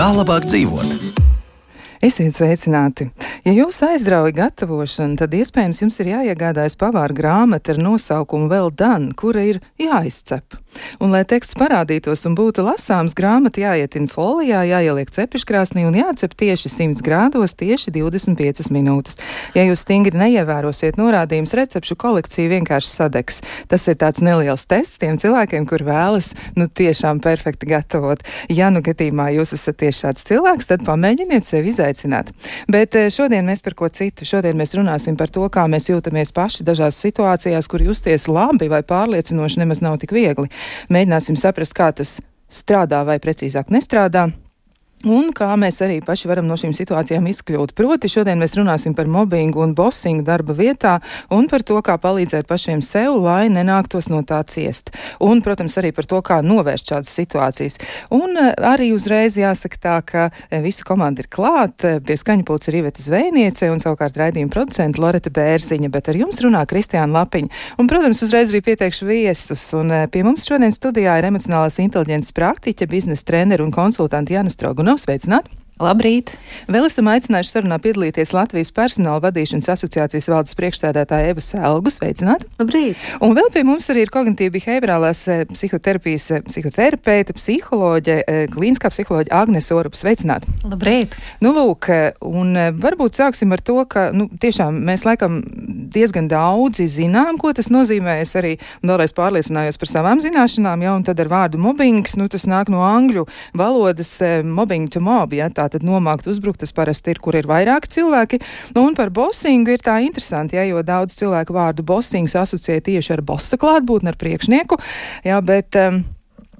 Kā labāk dzīvot? Esiet sveicināti! Ja jūs aizrauja gatavošana, tad iespējams jums ir jāiegādājas pavāra grāmata ar nosaukumu Well Done, kura ir jāizcep. Un, lai teksts parādītos un būtu lasāms, grāmata jāietina folijā, jāieliek cepeškrāsnī un jācep tieši 100 grādos, tieši 25 minūtes. Ja jūs stingri neievērosiet norādījumus, recepšu kolekcija vienkārši sadegs. Tas ir tāds neliels tests tiem cilvēkiem, kur vēlas, tiešām perfekti gatavot. Ja gadījumā jūs esat tieši šāds cilvēks, tad pamēģiniet sevi izaicināt. Bet šodien mēs par ko citu. Šodien mēs runāsim par to, kā mēs jūtamies paši dažās situācijās, kur justies labi vai pārliecinoši nemaz nav tik viegli. Mēģināsim saprast, kā tas strādā vai precīzāk nestrādā. Un kā mēs arī paši varam no šīm situācijām izkļūt. Proti, šodien mēs runāsim par mobbingu un bossingu darba vietā un par to, kā palīdzēt pašiem sev, lai nenāktos no tā ciest. Un, protams, arī par to, kā novērst šādas situācijas. Un arī uzreiz jāsaka tā, ka visa komanda ir klāt. Pie skaņpults ir Iveta Zvejniece un savukārt raidījuma producenta Loreta Bērziņa, bet ar jums runā Kristiāna Lapiņa. Un, protams, uzreiz arī pieteikšu viesus. Un pie mums šodien studijā ir emocionālās inteliģences praktiķe, biznesa treneri un konsultanti Jāna Strogunova. Sveicināti! Labrīt! Vēl esam aicinājuši sarunā piedalīties Latvijas personāla vadīšanas asociācijas valdes priekšstādātāja Eva Selgu. Sveicināti! Labrīt! Un vēl pie mums arī ir kognitīvi behaviorālās psihoterapijas psihoterapeite, psiholoģe, klīniskā psiholoģe Agnese Orupa. Sveicināti! Labrīt! Lūk, un varbūt sāksim ar to, ka, tiešām mēs laikam diezgan daudzi zinām, ko tas nozīmē. Es arī vēlreiz pārliecinājos par savām zināšanām, un tad ar vārdu mobbings, tas nāk no angļu valodas mobbing to mob, tātad nomākt, uzbrukt, tas parasti ir, kur ir vairāki cilvēki. Un par bossingu ir tā interesanti, jo daudz cilvēku vārdu bossings asociē tieši ar bossa klātbūtni, ar priekšnieku, bet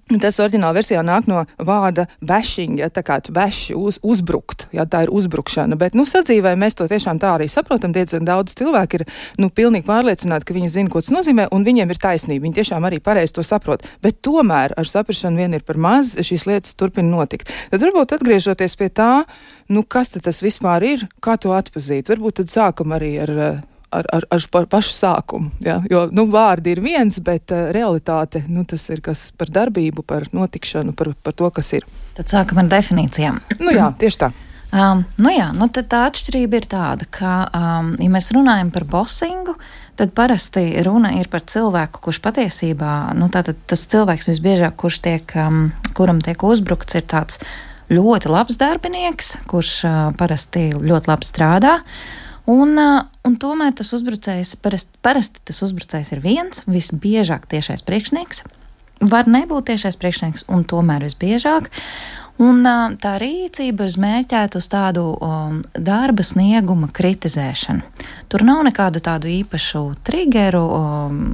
tas oriģināla versijā nāk no vārda bashing, tā kā tu bashi, uzbrukt, tā ir uzbrukšana. Bet, sadzīvē mēs to tiešām tā arī saprotam. Diezgan daudz cilvēki ir, pilnīgi pārliecināti, ka viņi zina, ko tas nozīmē, un viņiem ir taisnība. Viņi tiešām arī pareizi to saprot. Bet tomēr ar saprašanu vien ir par maz, šīs lietas turpina notikt. Tad varbūt atgriežoties pie tā, kas tad tas vispār ir, kā to atpazīt. Varbūt tad sākam arī ar pašu sākumu, jo, vārdi ir viens, bet realitāte, tas ir kas par darbību, par notikšanu, par to, kas ir. Tad sākam ar definīcijām. Jā, tieši tā. Tad tā atšķirība ir tāda, ka, ja mēs runājam par bossingu, tad parasti runa ir par cilvēku, kurš patiesībā, tātad tas cilvēks visbiežāk, kuram tiek uzbrukts, ir tāds ļoti labs darbinieks, kurš parasti ļoti labi strādā. Un tomēr tas uzbrucējs, parasti tas uzbrucējs ir viens, visbiežāk tiešais priekšnieks. Var nebūt tiešais priekšnieks, un tomēr visbiežāk. Un tā rīcība ir mērķēta uz tādu darba snieguma kritizēšanu. Tur nav nekādu tādu īpašu triggeru,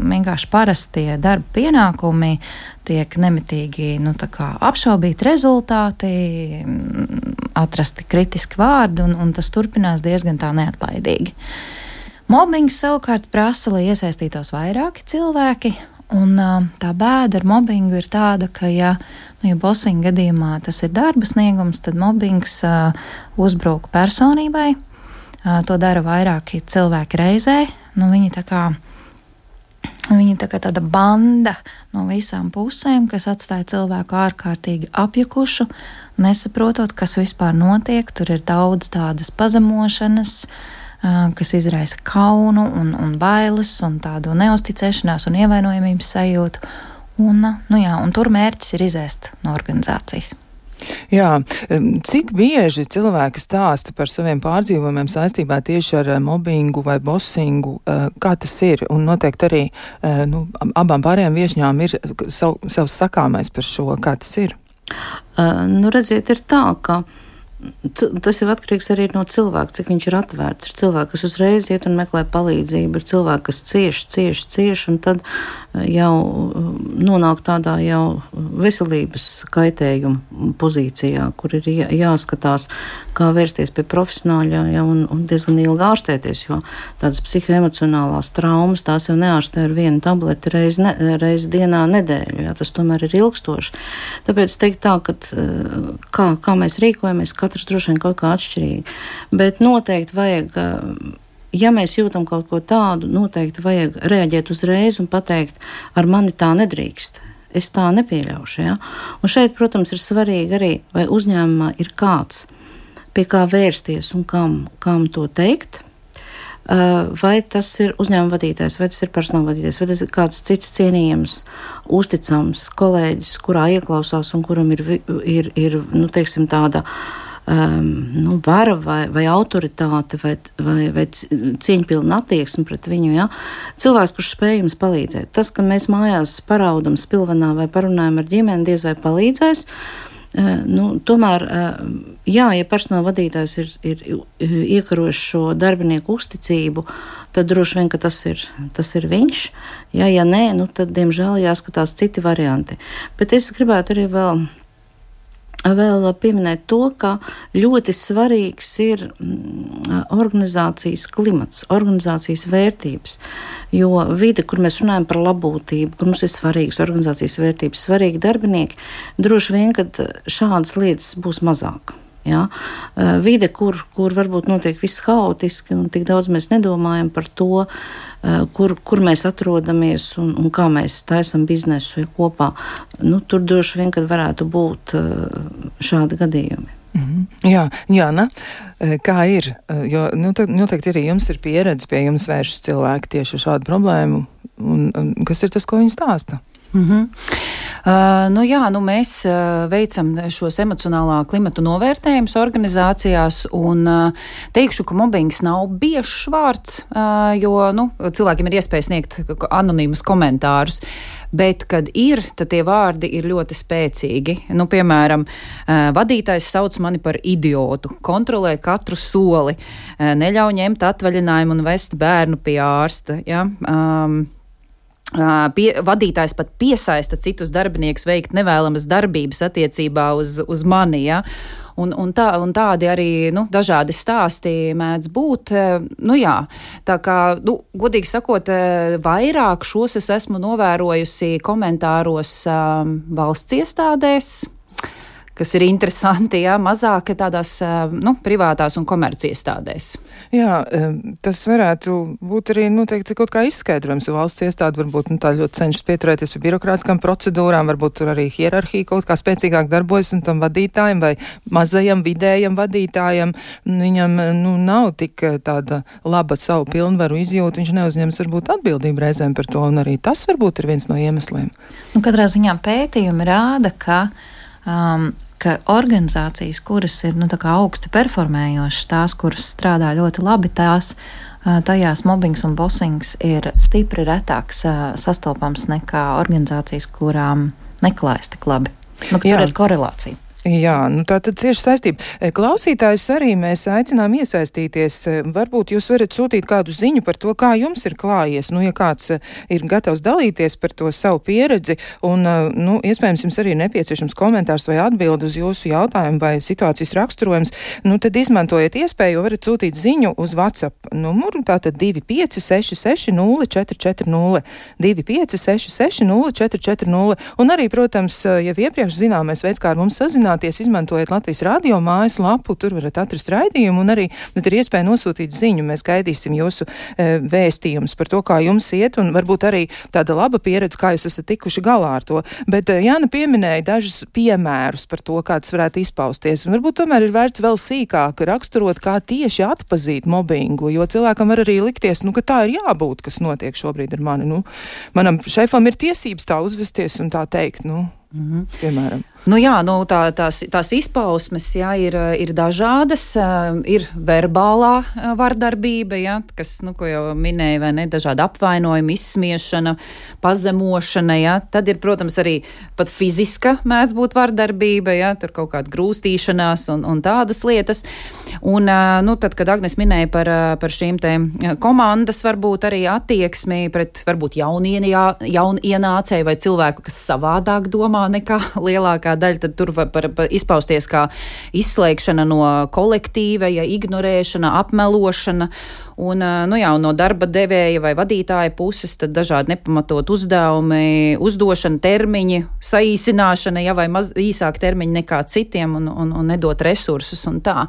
vienkārši parastie darba pienākumi tiek nemitīgi apšaubīti rezultāti, atrasti kritiski vārdi, un tas turpinās diezgan tā neatlaidīgi. Mobbings savukārt prasa, lai iesaistītos vairāki cilvēki. Un tā bēda ar mobbingu ir tāda, ka, ja bossinga gadījumā tas ir darba sniegums, tad mobbings uzbruk personībai. To dara vairāki cilvēki reizē. Viņi tā kā tāda banda no visām pusēm, kas atstāja cilvēku ārkārtīgi apjukušu, nesaprotot, kas vispār notiek. Tur ir daudz tādas pazemošanas, kas izraisa kaunu un bailes un tādu neusticēšanās un ievainojamības sajūtu. Un tur mērķis ir izēst no organizācijas. Jā, cik bieži cilvēki stāsta par saviem pārdzīvojumiem saistībā tieši ar mobbingu vai bossingu, kā tas ir? Un noteikti arī abām pārējām viešņām ir savs sakāmais par šo, kā tas ir. Redziet, ir tā, ka tas jau atkarīgs arī no cilvēka, cik viņš ir atvērts. Ir cilvēki, kas uzreiz iet un meklē palīdzību, ir cilvēki, kas cieš, un tad jau nonāk tādā jau veselības kaitējuma pozīcijā, kur ir jāskatās, kā vērsties pie profesionāļa un diezgan ilgi ārstēties, jo tādas psihoemocionālās traumas, tās jau neārstē ar vienu tableti reizi dienā nedēļu, tas tomēr ir ilgstoši. Tāpēc teikt tā, ka kā mēs rīkojamies, katrs droši vien kaut kā atšķirīgi, bet noteikti vajag, ja mēs jūtam kaut ko tādu, noteikti vajag reaģēt uzreiz un pateikt, ar mani tā nedrīkst. Es tā nepieļaušu. Ja? Un šeit, protams, ir svarīgi arī, vai uzņēmumā ir kāds, pie kā vērsties un kam to teikt. Vai tas ir uzņēmuma vadītājs, vai tas ir personāla vadītājs, vai tas ir kāds cits cienījams, uzticams kolēģis, kurā ieklausās un kuram ir nu, teiksim, tāda vara vai autoritāte vai cieņpilna attieksme pret viņu. Ja? Cilvēks, kurš spēj jums palīdzēt. Tas, ka mēs mājās paraudam spilvenā vai parunājam ar ģimeni, diez vai palīdzēs. Tomēr, ja personāla vadītājs ir iekarojis šo darbinieku uzticību, tad droši vien, ka tas ir viņš. Ja nē, tad, diemžēl, jāskatās citi varianti. Bet es gribētu arī vēl pieminēt to, ka ļoti svarīgs ir organizācijas klimats, organizācijas vērtības. Jo vide, kur mēs runājam par labbūtību, kur mums ir svarīgas organizācijas vērtības, svarīgi darbinieki, droši vien, kad šādas lietas būs mazāk. Ja? Vide, kur varbūt notiek viss haotiski un tik daudz mēs nedomājam par to, kur mēs atrodamies un kā mēs taisam biznesu kopā. Tur droši vien, kad varētu būt šādi gadījumi. Jā, Jāna, kā ir? Jo noteikti arī jums ir pieredze, pie jums vēršas cilvēki tieši ar šādu problēmu. Un kas ir tas, ko viņi stāsta? Mēs veicam šos emocionālā klimatu novērtējumus organizācijās un teikšu, ka mobbings nav biežs vārds, jo cilvēkiem ir iespēja sniegt anonīmus komentārus, bet, kad ir, tad tie vārdi ir ļoti spēcīgi. Piemēram, vadītājs sauc mani par idiotu, kontrolē katru soli, neļauj ņemt atvaļinājumu un vest bērnu pie ārsta, ja? Vadītājs pat piesaista citus darbiniekus veikt nevēlamas darbības attiecībā uz mani, ja? Un tādi arī dažādi stāsti mēdz būt. Tā kā, godīgi sakot, vairāk šos es esmu novērojusi komentāros valsts iestādēs, kas ir interesanti, jā, mazāk tādās privātās un komerciestādēs. Jā, tas varētu būt arī noteikti kaut kā izskaidrojums, jo valsts iestāde varbūt tā ļoti cenšas pieturēties pie birokrātiskām procedūrām, varbūt tur arī hierarhija kaut kā spēcīgāk darbojas un tam vadītājiem vai mazajam vidējam vadītājam, viņam nav tik tāda laba savu pilnvaru izjūta, viņš neuzņems varbūt atbildību reizēm par to, un arī tas varbūt ir viens no iemesliem. Katrā ziņā pētījumi rāda, ka organizācijas, kuras ir augsti performējošas, tās, kuras strādā ļoti labi, tajās mobbings un bossings ir stipri retāks sastopams nekā organizācijas, kurām neklājas tik labi. Tur ir korelācija. Jā, tā tad cieši saistība. Klausītājs arī mēs aicinām iesaistīties. Varbūt jūs varat sūtīt kādu ziņu par to, kā jums ir klājies. Ja kāds ir gatavs dalīties par to savu pieredzi un, iespējams, jums arī nepieciešams komentārs vai atbildi uz jūsu jautājumu vai situācijas raksturojums, tad izmantojiet iespēju, jo varat sūtīt ziņu uz WhatsApp numuru, tātad 2566 0440, 2566 0440, un arī, protams, jau iepriekš zināmais veids, kā ar mums sazināt, izmantojot Latvijas radio mājaslapu, tur varat atrast raidījumu un arī ir iespēja nosūtīt ziņu. Mēs gaidīsim jūsu vēstījumus par to, kā jums iet, un varbūt arī tāda laba pieredze, kā jūs esat tikuši galā ar to. Bet Jāna pieminēja dažus piemērus par to, kā tas varētu izpausties, un varbūt tomēr ir vērts vēl sīkāk raksturot, kā tieši atpazīt mobbingu, jo cilvēkam var arī likties, ka tā ir jābūt, kas notiek šobrīd ar mani. Manam šefam ir tiesības tā uzvesties un tā teikt, piemēram. Tās izpausmes, jā, ir dažādas, ir verbālā vardarbība, jā, kas, ko jau minēja, vai ne, dažāda apvainojuma, izsmiešana, pazemošana, jā, tad ir, protams, arī pat fiziska mēdz būt vardarbība, jā, tur kaut kāda grūstīšanās un tādas lietas. Un, tad, kad Agnes minēja par šīm te komandas, varbūt arī attieksmi pret, varbūt jaunienācēju vai cilvēku, kas savādāk domā nekā lielākā daļa, tad tur var izpausties kā izslēgšana no kolektīva, ignorēšana, apmelošana. Un, no darba devēja vai vadītāja puses tad dažādi nepamatot uzdevumi, uzdošana termiņi, saīsināšana, vai īsāk termiņi nekā citiem un nedot resursus un tā.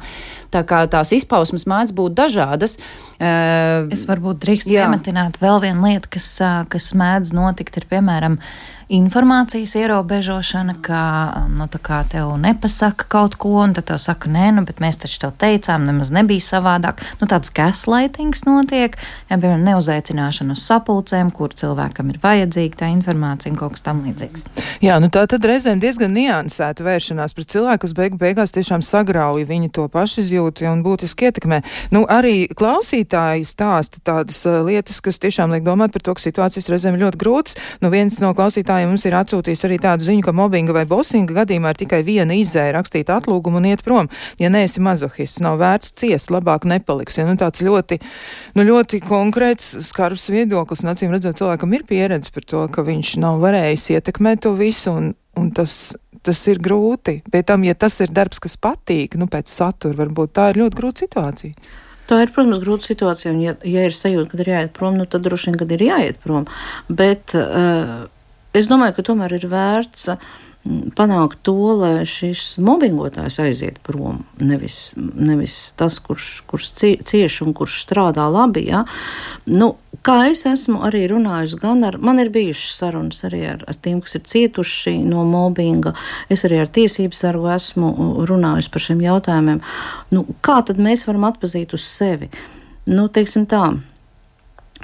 Tā kā tās izpausmes mēdz būt dažādas. Es varbūt drīkstu piemetināt vēl vienu lietu, kas mēdz notikt, ir piemēram informācijas ierobežošana, kā tev nepasaka kaut ko, un tad tev saka, nē, bet mēs taču tev teicām, nemaz nebija savādāk. Tāds gaslightings notiek, piemēram, neuzaicināšana uz sapulcēm, kur cilvēkam ir vajadzīga tā informācija un kaut kas tam līdzīgs. Jā, tā tad reizēm diezgan niansēta vēršanās pret cilvēku, kas beigās tiešām sagrauja viņi to pašizjūtu un būtiski ietekmē. Arī klausītāji stāsta tādas lietas, kas tiešām liek domāt par to, ka situācijas reizēm ļoti grūtas. Viens no klausītājiem mums ir atsūtījis arī tādu ziņu, ka mobbinga vai bosinga gadījumā ir tikai viena izēja rakstīt atlūgumu un iet prom. Ja neesi mazohists, nav vērts ciest, labāk nepaliks. Tāds ļoti konkrēts, skarbs viedoklis, un acīm redzot, cilvēkam ir pieredze par to, ka viņš nav varējis ietekmēt to visu, un tas ir grūti. Pēc tam, ja tas ir darbs, kas patīk, pēc satura, varbūt tā ir ļoti grūta situācija. Tā ir, protams, grūta situācija, un ja ir sajūta, kad ir jāiet prom, tad droši vien, kad ir jāiet prom. Bet es domāju, ka tomēr ir vērts panākt to, lai šis mobbingotājs aiziet prom, nevis tas, kurš cieš un kurš strādā labi. Ja? Kā es esmu arī runājusi, man ir bijušas sarunas arī ar tiem, kas ir cietuši no mobbinga. Es arī ar tiesību sargu esmu runājusi par šiem jautājumiem. Kā tad mēs varam atpazīt uz sevi? Teiksim tā.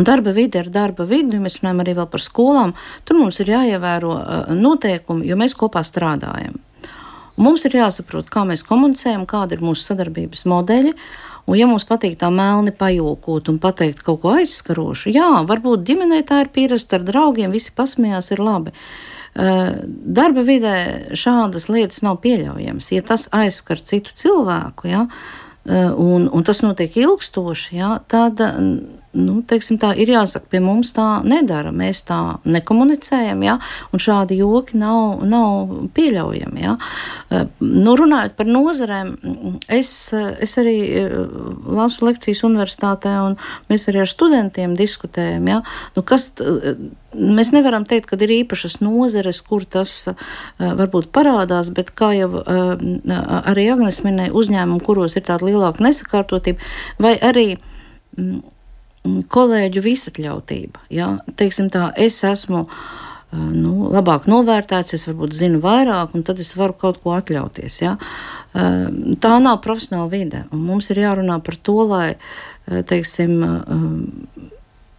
Darba vide ir darba vide, ja mēs runājam arī vēl par skolām, tur mums ir jāievēro noteikumi, jo mēs kopā strādājam. Un mums ir jāsaprot, kā mēs komunicējam, kāda ir mūsu sadarbības modeļi, un ja mums patīk tā melni pajūkot un pateikt kaut ko aizskarošu, varbūt ģimenē tā ir pierasta ar draugiem, visi pasmējās, ir labi. Darba vidē šādas lietas nav pieļaujamas. Ja tas aizskar citu cilvēku, un tas notiek ilgstoši, tad teiksim tā, ir jāsaka, pie mums tā nedara, mēs tā nekomunicējam, un šādi joki nav pieļaujami, runājot par nozarēm, es arī lasu lekcijas universitātē, un mēs arī ar studentiem diskutējam, mēs nevaram teikt, ka ir īpašas nozares, kur tas varbūt parādās, bet kā jau arī Agnes minēja, uzņēmumi, kuros ir tāda lielāka nesakārtotība, vai arī kolēģu visatļautība. Teiksim tā, es esmu labāk novērtēts, es varbūt zinu vairāk, un tad es varu kaut ko atļauties. Tā nav profesionāla vide, un mums ir jārunā par to, lai, teiksim,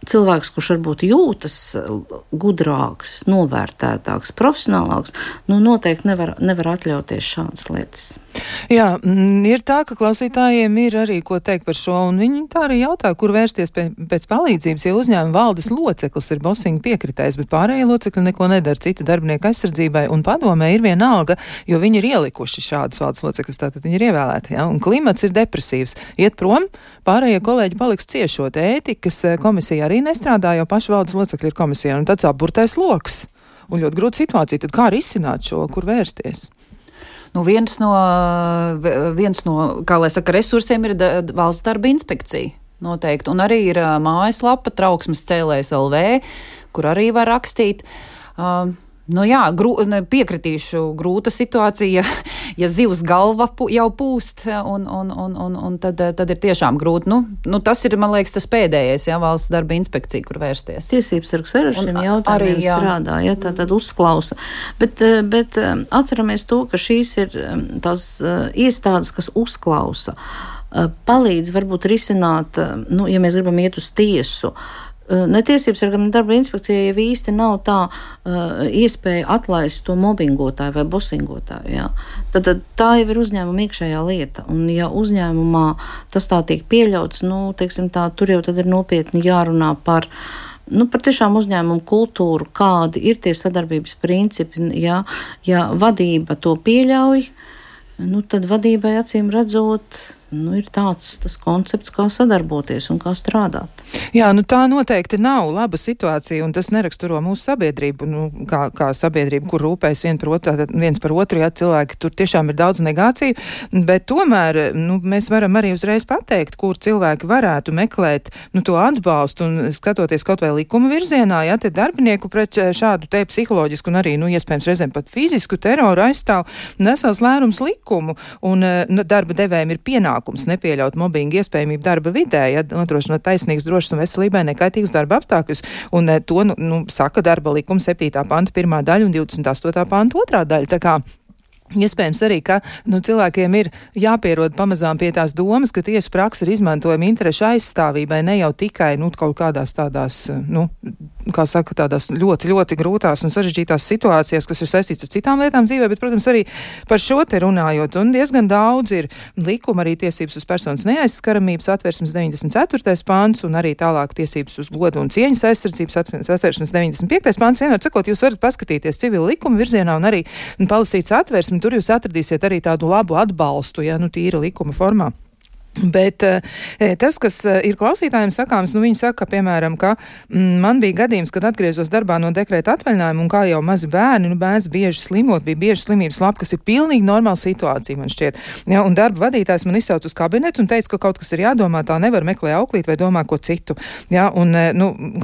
cilvēks, kurš varbūt jūtas gudrāks, novērtētāks, profesionālāks, noteikti nevar atļauties šādas lietas. Jā, ir tā, ka klausītājiem ir arī ko teikt par šo, un viņi tā arī jautā, kur vērsties pēc palīdzības, ja uzņēmuma valdes loceklis ir bosinga piekritējs, bet pārējie locekļi neko nedara cita darbinieka aizsardzībai, un padomē ir vienalga, jo viņi ir ielikuši šādas valdes loceklis, tātad viņi ir ievēlēti, un klimats ir depresīvs. Iet prom, pārējie kolēģi paliks ciešot. Ētikas komisija arī nestrādā, jo paši valdes locekļi ir komisija, un tāds apburtais loks. Un ļoti grūta situācija, tad kā risināt šo, kur vērsties? Viens no, kā lai saka, resursiem ir valsts darba inspekcija noteikti. Un arī ir mājaslapa trauksmes cēlējs LV, kur arī var rakstīt. Piekritīšu, grūta situācija, ja zivs galva jau pūst, un tad ir tiešām grūti. Tas ir, man liekas, tas pēdējais, valsts darba inspekcija, kur vērsties. Tiesības sargs ar šiem jautājumiem strādā, tad uzklausa. Bet atceramies to, ka šīs ir tās iestādes, kas uzklausa, palīdz varbūt risināt, ja mēs gribam iet uz tiesu, ne tiesības ar gan darba inspekcija jau īsti nav tā iespēja atlaist to mobbingotāju vai bosingotāju. Tad tā jau ir uzņēmuma iekšējā lieta. Un ja uzņēmumā tas tā tiek pieļauts, teiksim tā, tur jau tad ir nopietni jārunā par tiešām uzņēmumu kultūru, kādi ir tie sadarbības principi. Ja vadība to pieļauj, tad vadībai acīm redzot ir tas koncepts, kā sadarboties un kā strādāt. Jā, tā noteikti nav laba situācija, un tas neraksturo mūsu sabiedrību, kā sabiedrību, kur rūpējas viens par otru, ja cilvēki tur tiešām ir daudz negāciju, bet tomēr, mēs varam arī uzreiz pateikt, kur cilvēki varētu meklēt, to atbalstu, un skatoties kaut vai likuma virzienā, ja te darbinieku pret šādu te psiholoģisku un arī, iespējams reizēm pat fizisku teroru aizstāv vesels lērums likumu, un darba devējiem ir pienākums nepieļaut mobbingu iespējamību darba vidē, ja nodrošinot taisnīgas, drošas un veselībai nekaitīgas darba apstākļus, un to, saka darba likuma 7. panta 1. daļa un 28. panta 2. daļa, tā kā iespējams arī, ka cilvēkiem ir jāpierod pamazām pie tās domas, ka tiesa praksa ir izmantojama interešu aizstāvībai, ne jau tikai kaut kādās tādās, kā saka, tādās ļoti, ļoti grūtās un sarežģītās situācijās, kas ir saistīts ar citām lietām dzīvē, bet, protams, arī par šo te runājot. Un diezgan daudz ir likuma arī tiesības uz personas neaizskaramības atversmes 94. pants un arī tālāk tiesības uz godu un cieņas aizsardzības atversmes 95. pants. Vienmēr sakot, jūs varat paskatīties civila likuma virzienā un arī palasīt atversmi. Tur jūs atradīsiet arī tādu labu atbalstu, tīra likuma formā. Bet tas, kas ir klausītājiem sakāms, viņi saka, piemēram, ka man bija gadījums, kad atgriezos darbā no dekrēta atvaļinājuma, un kā jau mazi bērni, bērns bieži slimot, bija bieži slimības lapa, kas ir pilnīgi normāla situācija, man šķiet. Ja, un darba vadītājs man izsauc uz kabinetu un teica, ka kaut kas ir jādomā, tā nevar meklēt auklīt vai domā ko citu. Ja, un,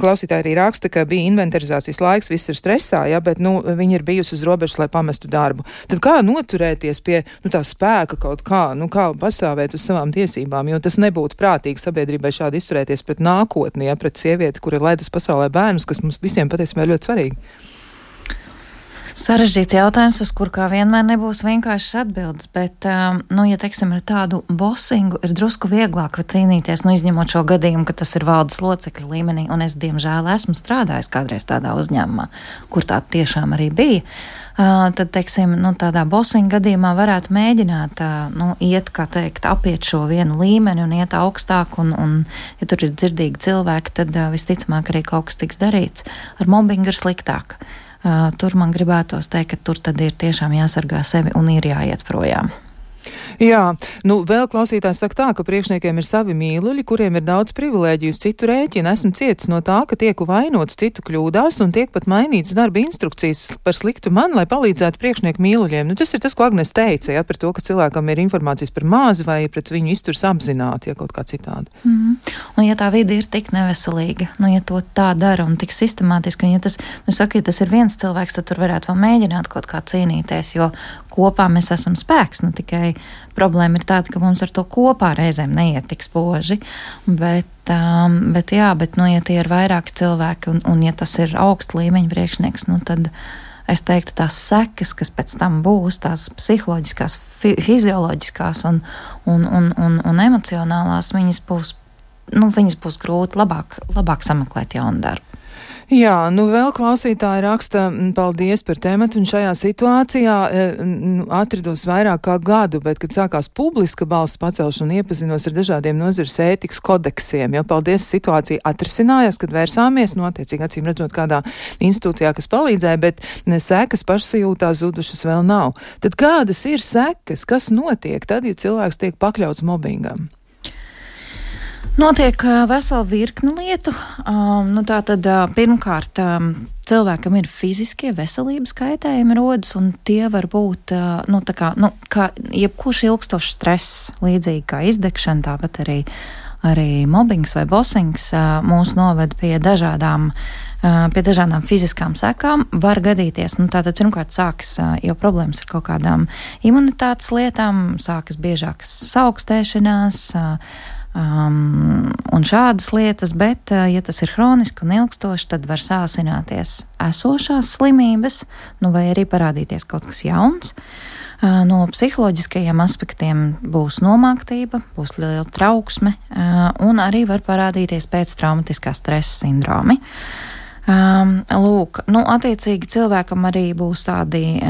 klausītāji arī raksta, ka bija inventarizācijas laiks, viss ir stresā, ja, bet, viņi ir bijusi uz robežas, lai pamestu darbu. Tad kā noturēties pie, tā spēka kaut kā, kā pastāvēt uz savām tiesībām? Jo tas nebūtu prātīgi sabiedrībai šādi izturēties pret nākotni, pret sievieti, kur ir laidas pasaulē bērnus, kas mums visiem patiesībā ir ļoti svarīgi. Sarežģīts jautājums, uz kur kā vienmēr nebūs vienkāršas atbildes, bet, ja teiksim, ar tādu bosingu ir drusku vieglāk cīnīties, izņemot šo gadījumu, ka tas ir valdes locekļu līmenī, un es, diemžēl, esmu strādājis kādreiz tādā uzņēmumā, kur tā tiešām arī bija. Tad, teiksim, tādā bosinga gadījumā varētu mēģināt, iet, kā teikt, apiet šo vienu līmeni un iet augstāk, un ja tur ir dzirdīgi cilvēki, tad visticamāk arī kaut kas tiks darīts. Ar mobbingu ir sliktāk. Tur man gribētos teikt, ka tur tad ir tiešām jāsargā sevi un ir jāiet projām. Jā, vēl klausītājs saka tā, ka priekšniekiem ir savi mīluļi, kuriem ir daudz privilēģiju uz citu rēķinu. Esmu cietis no tā, ka tieku vainots citu kļūdās un tiek pat mainīts darba instrukcijas par sliktu man, lai palīdzētu priekšnieku mīluļiem. Tas ir tas, ko Agnes teica, ja, par to, ka cilvēkam ir informācijas par māzi vai pret viņu izturs apzināti, ja kaut kā citādi. Un ja tā vide ir tik neveselīga, ja to tā dara un tik sistemātiski, un ja tas, ja tas ir viens cilvēks, tad tur varētu vēl mēģināt kaut kā cīnīties, jo kopā mēs esam spēks, tikai problēma ir tāda, ka mums ar to kopā reizēm neiet tik spoži, bet ja tie ir vairāki cilvēki un ja tas ir augsta līmeņa priekšnieks, tad es teiktu tās sekas, kas pēc tam būs, tās psiholoģiskās, fizioloģiskās un emocionālās, viņas būs grūti labāk sameklēt jaunu darbu. Jā, vēl klausītāji raksta, paldies par tematu, un šajā situācijā atrados vairāk kā gadu, bet, kad sākās publiska balss pacelšana, iepazinos ar dažādiem nozares ētikas kodeksiem, jo paldies situācija atrisinājās, kad vērsāmies, attiecīgi acīm redzot kādā institūcijā, kas palīdzēja, bet sekas pašsajūtā zudušas vēl nav. Tad kādas ir sekas, kas notiek tad, ja cilvēks tiek pakļauts mobbingam? Notiek vesela virkne lietu. Tātad pirmkārt cilvēkam ir fiziskie veselības kaitējumi rodas, un tie var būt, kā jebkurš ilgstošs stress, līdzīgi kā izdegšana, tāpat arī mobbings vai bosings mūs noved pie dažādām fiziskām sekām. Var gadīties, tātad pirmkārt sākas, jo problēmas ar kaut kādām imunitātes lietām, sākas biežākas saaugstēšanās, un šādas lietas, bet, ja tas ir hroniski un ilgstoši, tad var sāsināties esošās slimības, vai arī parādīties kaut kas jauns. No psiholoģiskajiem aspektiem būs nomāktība, būs liela trauksme, un arī var parādīties pēctraumatiskā stresa sindromi. Attiecīgi cilvēkam arī būs tādi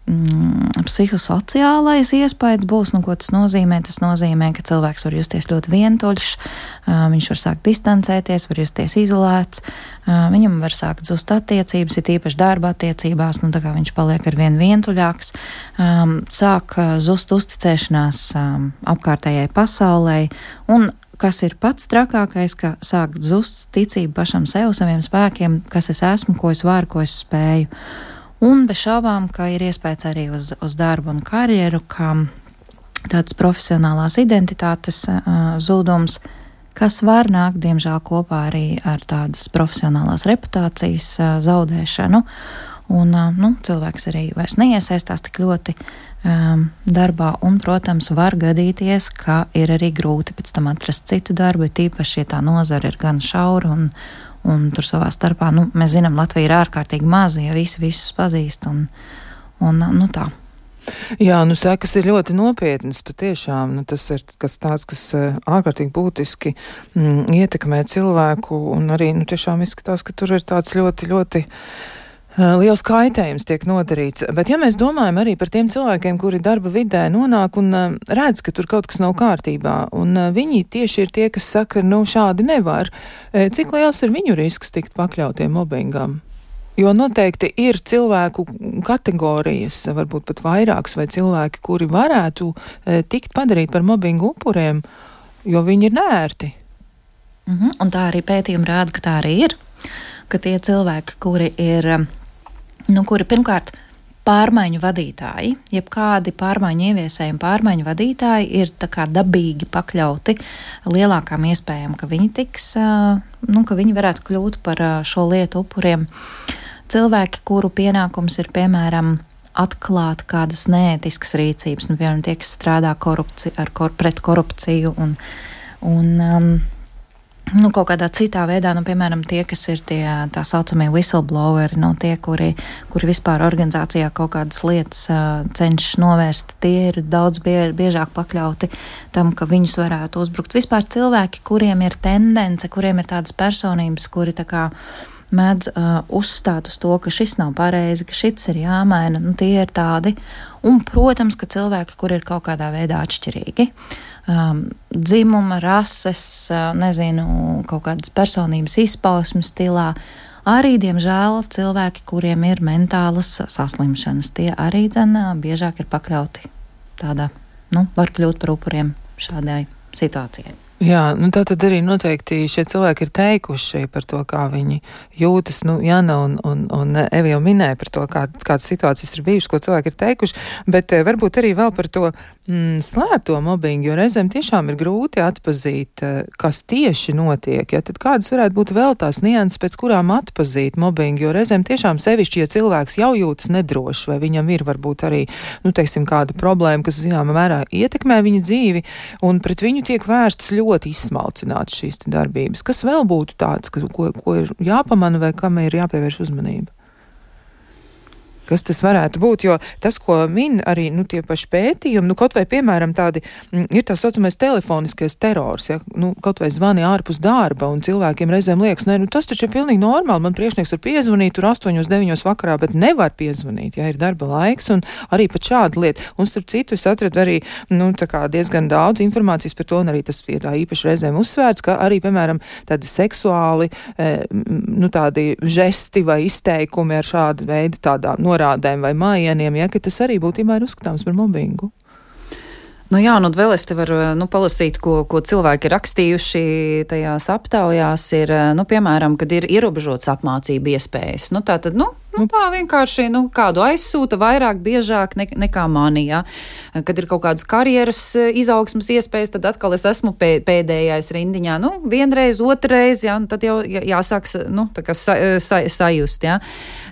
psihosociālais iespējas būs, ko tas nozīmē. Tas nozīmē, ka cilvēks var justies ļoti vientuļš, viņš var sākt distancēties, var justies izolēts, viņam var sākt zust attiecības, ir īpaši darba attiecībās, tā kā viņš paliek arvien vientuļāks, sāk zust uzticēšanās apkārtējai pasaulē, un kas ir pats trakākais, ka sāk zust ticība pašam sev, saviem spēkiem, kas es esmu, ko es varu, ko es spēju. Un bez šaubām, ka ir iespējas arī uz darbu un karjeru, ka tāds profesionālās identitātes zudums, kas var nākt, diemžēl, kopā arī ar tādas profesionālās reputācijas zaudēšanu. Un cilvēks arī vairs neiesaistās tik ļoti darbā, un, protams, var gadīties, ka ir arī grūti pēc tam atrast citu darbu, tīpaši, ja tā nozara ir gan šaura un tur savā starpā, mēs zinām, Latvija ir ārkārtīgi maza, ja visi visus pazīst, un tā. Jā, sekas ir ļoti nopietnas, patiešām, tas ir kas tāds, kas ārkārtīgi būtiski ietekmē cilvēku, un arī, tiešām izskatās, ka tur ir tāds ļoti, ļoti liels kaitējums tiek nodarīts. Bet ja mēs domājam arī par tiem cilvēkiem, kuri darba vidē nonāk un redz, ka tur kaut kas nav kārtībā, un viņi tieši ir tie, kas saka, šādi nevar, cik liels ir viņu risks tikt pakļautiem mobbingam? Jo noteikti ir cilvēku kategorijas, varbūt pat vairākas, vai cilvēki, kuri varētu tikt padarīt par mobbingu upuriem, jo viņi ir neērti. Un tā arī pētījumi rāda, ka tā arī ir, ka tie cilvēki, kuri ir kuri pirmkārt pārmaiņu vadītāji, jebkādi pārmaiņu ieviesējumi, pārmaiņu vadītāji ir tā kā dabīgi pakļauti lielākām iespējām, ka viņi tiks, ka viņi varētu kļūt par šo lietu upuriem. Cilvēki, kuru pienākums ir, piemēram, atklāt kādas neētiskas rīcības, piemēram, tie, kas strādā pret korupciju un kaut kādā citā veidā, piemēram, tie, kas ir tā saucamie whistlebloweri, tie, kuri vispār organizācijā kaut kādas lietas cenšas novērst, tie ir daudz biežāk pakļauti tam, ka viņus varētu uzbrukt. Vispār cilvēki, kuriem ir tendence, kuriem ir tādas personības, kuri tā kā mēdz uzstāt uz to, ka šis nav pareizi, ka šis ir jāmaina, tie ir tādi. Un, protams, ka cilvēki, kuri ir kaut kādā veidā atšķirīgi, dzimuma, rases, kaut kādas personības izpausmes stilā, arī, diemžēl, cilvēki, kuriem ir mentālas saslimšanas, tie arī biežāk ir pakļauti tādā, var kļūt par upuriem šādai situācijai. Jā, tā tad arī noteikti šie cilvēki ir teikuši par to, kā viņi jūtas. Jana un Evi jau minēja par to, kādas situācijas ir bijušas, ko cilvēki ir teikuši, bet varbūt arī vēl par to slēpto mobbingu, jo reizēm tiešām ir grūti atpazīt, kas tieši notiek. Ja? Tad kādas varētu būt vēl tās nianses, pēc kurām atpazīt mobbingu, jo reizēm tiešām sevišķi, ja cilvēks jau jūtas nedrošs, vai viņam ir varbūt arī, kāda problēma, kas zināmā mērā ietekmē viņa dzīvi, un pret viņu tiek vērstas ļoti izsmalcināts šīs darbības. Kas vēl būtu tāds, ko ir jāpamana vai kam ir jāpievērš uzmanība? Kas tas varētu būt, jo tas, ko min arī tie paši pētījumi, kaut vai, piemēram, tādi ir tā saucamais telefoniskais terors, ja, kaut vai zvani ārpus darba, un cilvēkiem reizēm liekas, tas taču ir pilnīgi normāli, man priekšnieks var piezvanīt tur 8-9 vakarā, bet nevar piezvanīt, ja ir darba laiks, un arī pat šāda lieta. Un starp citu, es atradu arī, diezgan daudz informācijas par to, un arī tas ir tā īpaši reizēm uzsvērts, ka arī, piemēram, tādi seksuāli, tādi žesti vai izteikumi ar šādu veidu tādā norādēm vai mājieniem, ja, ka tas arī būtībā ir uzskatāms par mobbingu. Vēl es te varu palasīt, ko cilvēki ir rakstījuši tajās aptaujās, ir, piemēram, kad ir ierobežots apmācību iespējas. Tā vienkārši kādu aizsūta vairāk, biežāk nekā mani, ja. Kad ir kaut kādas karjeras izaugsmas iespējas, tad atkal es esmu pēdējais rindiņā. Vienreiz, otrreiz, ja, tad jau jāsāk sajust, ja.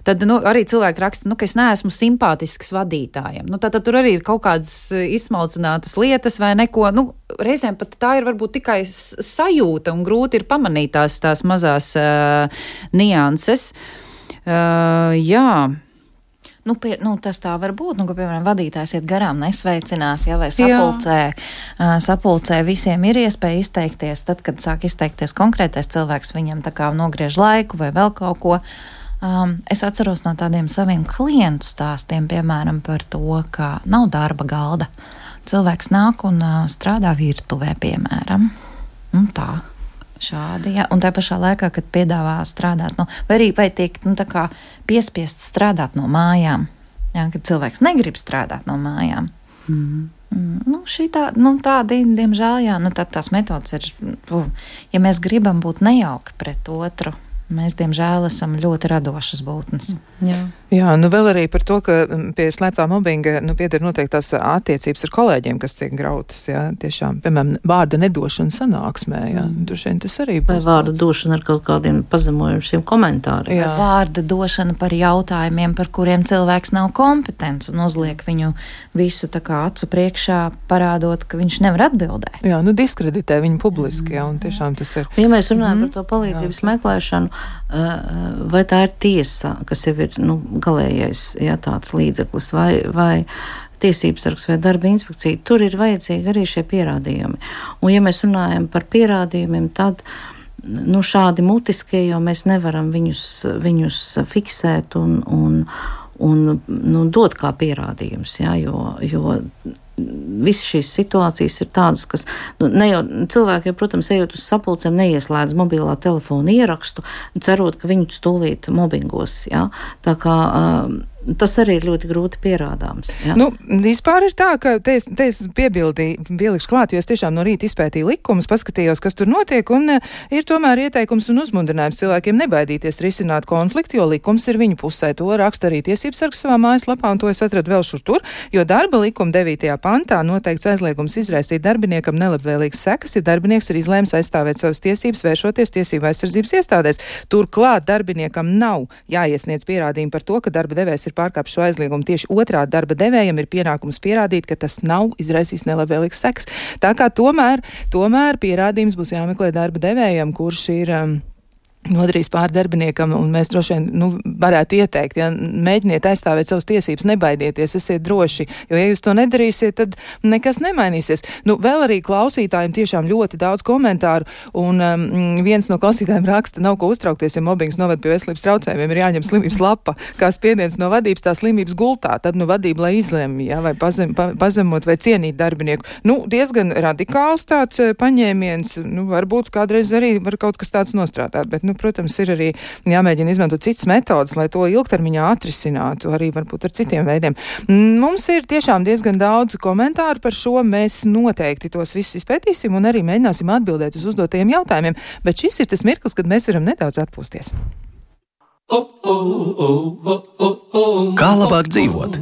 Tad arī cilvēki raksta, ka es neesmu simpātisks vadītājiem. Tad tur arī ir kaut kādas izsmalcinātas lietas vai neko. Reizēm pat tā ir varbūt tikai sajūta un grūti ir pamanīt tās mazās nianses. Jā. Tas tā var būt, ka, piemēram, vadītājs iet garām, nesveicinās, vai sapulcē visiem ir iespēja izteikties, tad, kad sāk izteikties konkrētais cilvēks, viņam tā kā nogriež laiku vai vēl kaut ko. Es atceros no tādiem saviem klientu stāstiem, piemēram, par to, ka nav darba galda. Cilvēks nāk un strādā virtuvē, piemēram. Un tā. Šādi, jā. Un tā pašā laikā, kad piedāvā strādāt, vai tiek tā kā piespiests strādāt no mājām, jā, kad cilvēks negrib strādāt no mājām. Tādi, diemžēl, jā, tās metodas ir, ja mēs gribam būt nejauki pret otru, mēs, diemžēl, esam ļoti radošas būtnes. Jā, vēl arī par to, ka pie slēptā mobbinga pieder noteiktās attiecības ar kolēģiem, kas tiek grautas, jā, tiešām, piemēram, vārda nedošana sanāksmē, jā, tas arī būs. Vai vārda došana ar kaut kādiem pazemojušiem komentāriem. Vai vārda došana par jautājumiem, par kuriem cilvēks nav kompetents un uzliek viņu visu tā kā acu priekšā, parādot, ka viņš nevar atbildēt. Jā, diskreditē viņu publiski, jā, un tiešām tas ir. Ja mēs runājam par to palīdzības meklēšanu, vai tā ir tiesa, kas jau ir, galējais, jā, tāds līdzeklis, vai tiesības sargs vai darba inspekcija, tur ir vajadzīgi arī šie pierādījumi. Un ja mēs runājam par pierādījumiem, tad, šādi mutiskie, jo mēs nevaram viņus fiksēt un dot kā pierādījums, jā, jo visas šīs situācijas ir tādas, kas, ne jau cilvēki, protams, ejot uz sapulcēm, neieslēdz mobilā telefona ierakstu, cerot, ka viņu stūlīt mobbingos, jā. Tā kā tas arī ir ļoti grūti pierādāms. Jā. Vispār ir tā, ka te es pielikšu klāt, jo es tiešām no rīta izpētīju likumus, paskatījos, kas tur notiek, un ir tomēr ieteikums un uzmundrinājums cilvēkiem nebaidīties risināt konfliktu, jo likums ir viņu pusē. To raksta arī tiesības sargs savā mājaslapā, un to es atradu vēl šur tur, jo darba likuma 9. pantā noteikts aizliegums izraisīt darbiniekam nelabvēlīgas sekas, ja darbinieks ir izlēms aizstāvēt savas tiesības, vēršoties tiesību aizsardzības iestādēs. Turklāt darbiniekam nav jāiesniedz pierādījumi par to, ka darba devējs ir pārkāpis šo aizliegumu. Tieši otrādi darba devējam ir pienākums pierādīt, ka tas nav izraisījis nelabvēlīgas sekas. Tā kā tomēr pierādījums būs jāmeklē darba devējam, kurš ir nodarījis pāri darbiniekam, un mēs droši vien varētu ieteikt, ja mēģiniet aizstāvēt savas tiesības, nebaidieties, esiet droši, jo ja jūs to nedarīsiet, tad nekas nemainīsies. Vēl arī klausītājiem tiešām ļoti daudz komentāru, un viens no klausītājiem raksta, nav ko uztraukties, ja mobbings noved pie veselības traucējumiem, ir jāņem slimības lapa, kā spiediens no vadības, tā slimības gultā, tad vadība, lai izlemj, ja, vai pazemot vai cienīt darbinieku. Diezgan radikāls tāds paņēmiens, varbūt kādreiz arī var kaut kas tāds nostrādāt, bet, protams, ir arī jāmēģina izmantot citas metodas, lai to ilgtermiņā atrisinātu, arī varbūt ar citiem veidiem. Mums ir tiešām diezgan daudz komentāru par šo, mēs noteikti tos visus izpētīsim un arī mēģināsim atbildēt uz uzdotajiem jautājumiem, bet šis ir tas mirklis, kad mēs varam nedaudz atpūsties. Kā labāk dzīvot?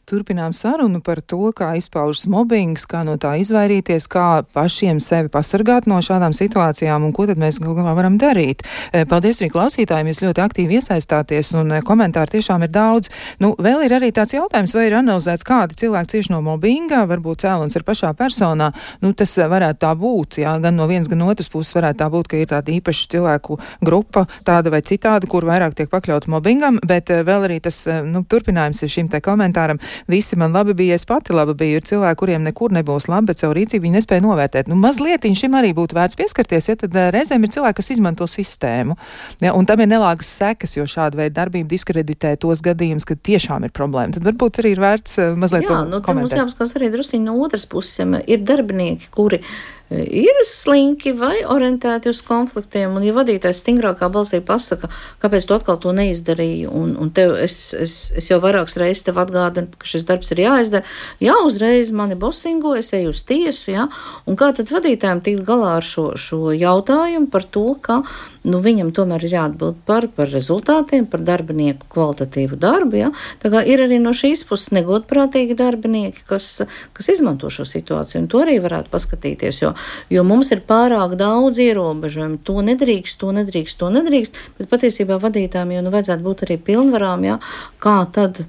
Turpinām sarunu par to, kā izpaužas mobbings, kā no tā izvairīties, kā pašiem sevi pasargāt no šādām situācijām un ko tad mēs galā varam darīt. Paldies arī klausītājiem, jūs ļoti aktīvi iesaistāties un komentāri tiešām ir daudz. Vēl ir arī tāds jautājums, vai ir analizēts, kādi cilvēki cieši no mobbinga, varbūt cēlons ir pašā personā. Tas varētu tā būt, jā, gan no vienas, gan otras puses varētu tā būt, ka ir tāda īpaša cilvēku grupa, tāda vai citāda, kur vairāk tiek pakļauta mobbingam, bet vēl arī tas, turpinājums ir šim te komentāram. Visi man labi bija, es pati labi biju, ir cilvēki, kuriem nekur nebūs labi, bet savu rīcību viņi nespēja novērtēt. Mazlietiņ šim arī būtu vērts pieskarties, ja tad reizēm ir cilvēki, kas izmanto sistēmu. Ja, un tam ir nelāgas sekas, jo šāda veida darbība diskreditē tos gadījumus, kad tiešām ir problēma. Tad varbūt arī ir vērts mazliet to komentēt. Mums jāpaskatās arī drusciņi no otras puses, ja ir darbinieki, kuri ir slinki vai orientēti uz konfliktiem, un ja vadītājs stingrākā balsī pasaka, kāpēc tu atkal to neizdarīji, un tev, es jau vairākas reizes tev atgādinu, ka šis darbs ir jāizdara, jā, uzreiz mani bosingo, es eju uz tiesu, jā, un kā tad vadītājiem tikt galā ar šo jautājumu par to, ka viņam tomēr ir jāatbild par rezultātiem, par darbinieku kvalitatīvu darbu, jā. Tā kā ir arī no šīs puses negodprātīgi darbinieki, kas izmanto šo situāciju, un to arī varētu paskatīties, jo mums ir pārāk daudz ierobežojumu, to nedrīkst, bet patiesībā vadītājiem jau vajadzētu būt arī pilnvarām, jā, kā tad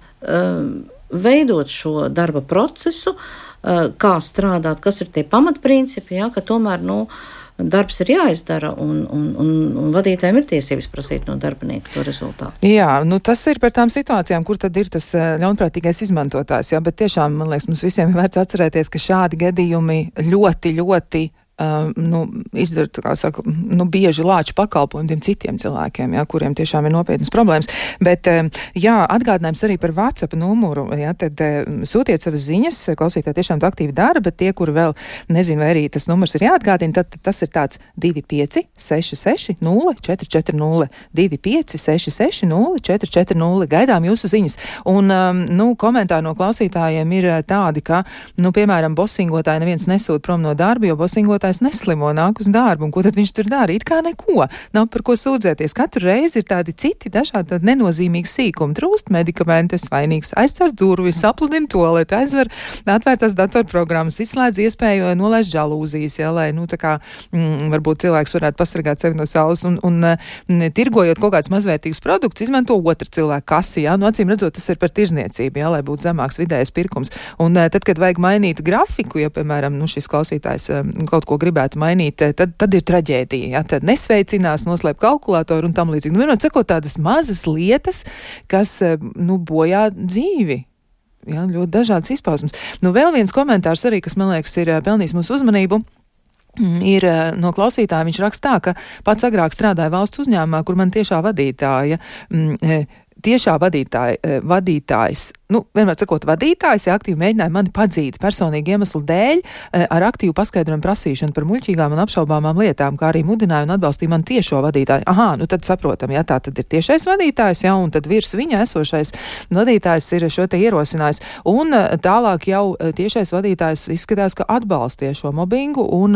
veidot šo darba procesu, kā strādāt, kas ir tie pamatprincipi, jā, ka tomēr, darbs ir jāizdara, un vadītājiem ir tiesības prasīt no darbinieka to rezultātu. Jā, tas ir par tām situācijām, kur tad ir tas ļaunprātīgais izmantotājs, jā, bet tiešām, man liekas, mums visiem ir vērts atcerēties, ka šādi gadījumi ļoti, ļoti izdara, kā saka, bieži lāču pakalpojumu tiem citiem cilvēkiem, jā, kuriem tiešām ir nopietnas problēmas. Bet, jā, atgādinājums arī par WhatsApp numuru, jā, tad sūtiet savas ziņas, klausītāji tiešām to aktīvi dara, bet tie, kuri vēl nezinu, vai arī tas numurs ir jāatgādina, tad tas ir tāds 2566 0440, 2566 0440, gaidām jūsu ziņas. Un, komentāri no klausītājiem ir tādi, ka, piemēram, bosingotāji neviens nesūt prom no darba, jo bosingotājs neslimo, nāk uz darbu, un ko tad viņš tur dara? It kā neko, nav par ko sūdzēties. Katru reizi ir tādi citi dažādi tādi nenozīmīgi sīkumi. Trūst medikamenti, es vainīgs, aizcer durvis, sapludina toaleti, aizver atvērtās datorprogrammas, izslēdz iespēju nolaist žalūzijas, ja, lai, varbūt cilvēks varētu pasargāt sevi no saules, un tirgojot kaut kāds mazvērtīgs produkts, izmanto otru cilvēku kasi, ja, acīm redzot, tas ir par tirzniecību, ja, lai būtu zemāks vidējais pirkums. Un tad, kad vajag mainīt grafiku, ja, piemēram, šis klausītājs kaut ko gribētu mainīt, tad ir traģēdija, ja, tad nesveicinās, noslēp kalkulātoru un tam līdzīgi. Vienot sakot, tādas mazas lietas, kas, bojā dzīvi. Ja, ļoti dažādas izpausmes. Vēl viens komentārs arī, kas, man liekas, ir pelnījis mūsu uzmanību, ir no klausītāja. Viņš raksta tā, ka pats agrāk strādāja valsts uzņēmumā, kur man tiešā vadītājs, vienmēr sakot vadītājs, ja aktīvi mēģināja mani padzīt personīgi iemeslu dēļ ar aktīvu paskaidrojumu prasīšanu par muļķīgām un apšaubāmām lietām, kā arī mudināja un atbalstīja mani tiešo vadītāju. Aha, tad saprotam, ja tā tad ir tiešais vadītājs, ja, un tad virs viņa esošais vadītājs ir šo te ierosinājis. Un tālāk jau tiešais vadītājs izskatās, ka atbalstīja šo mobbingu un,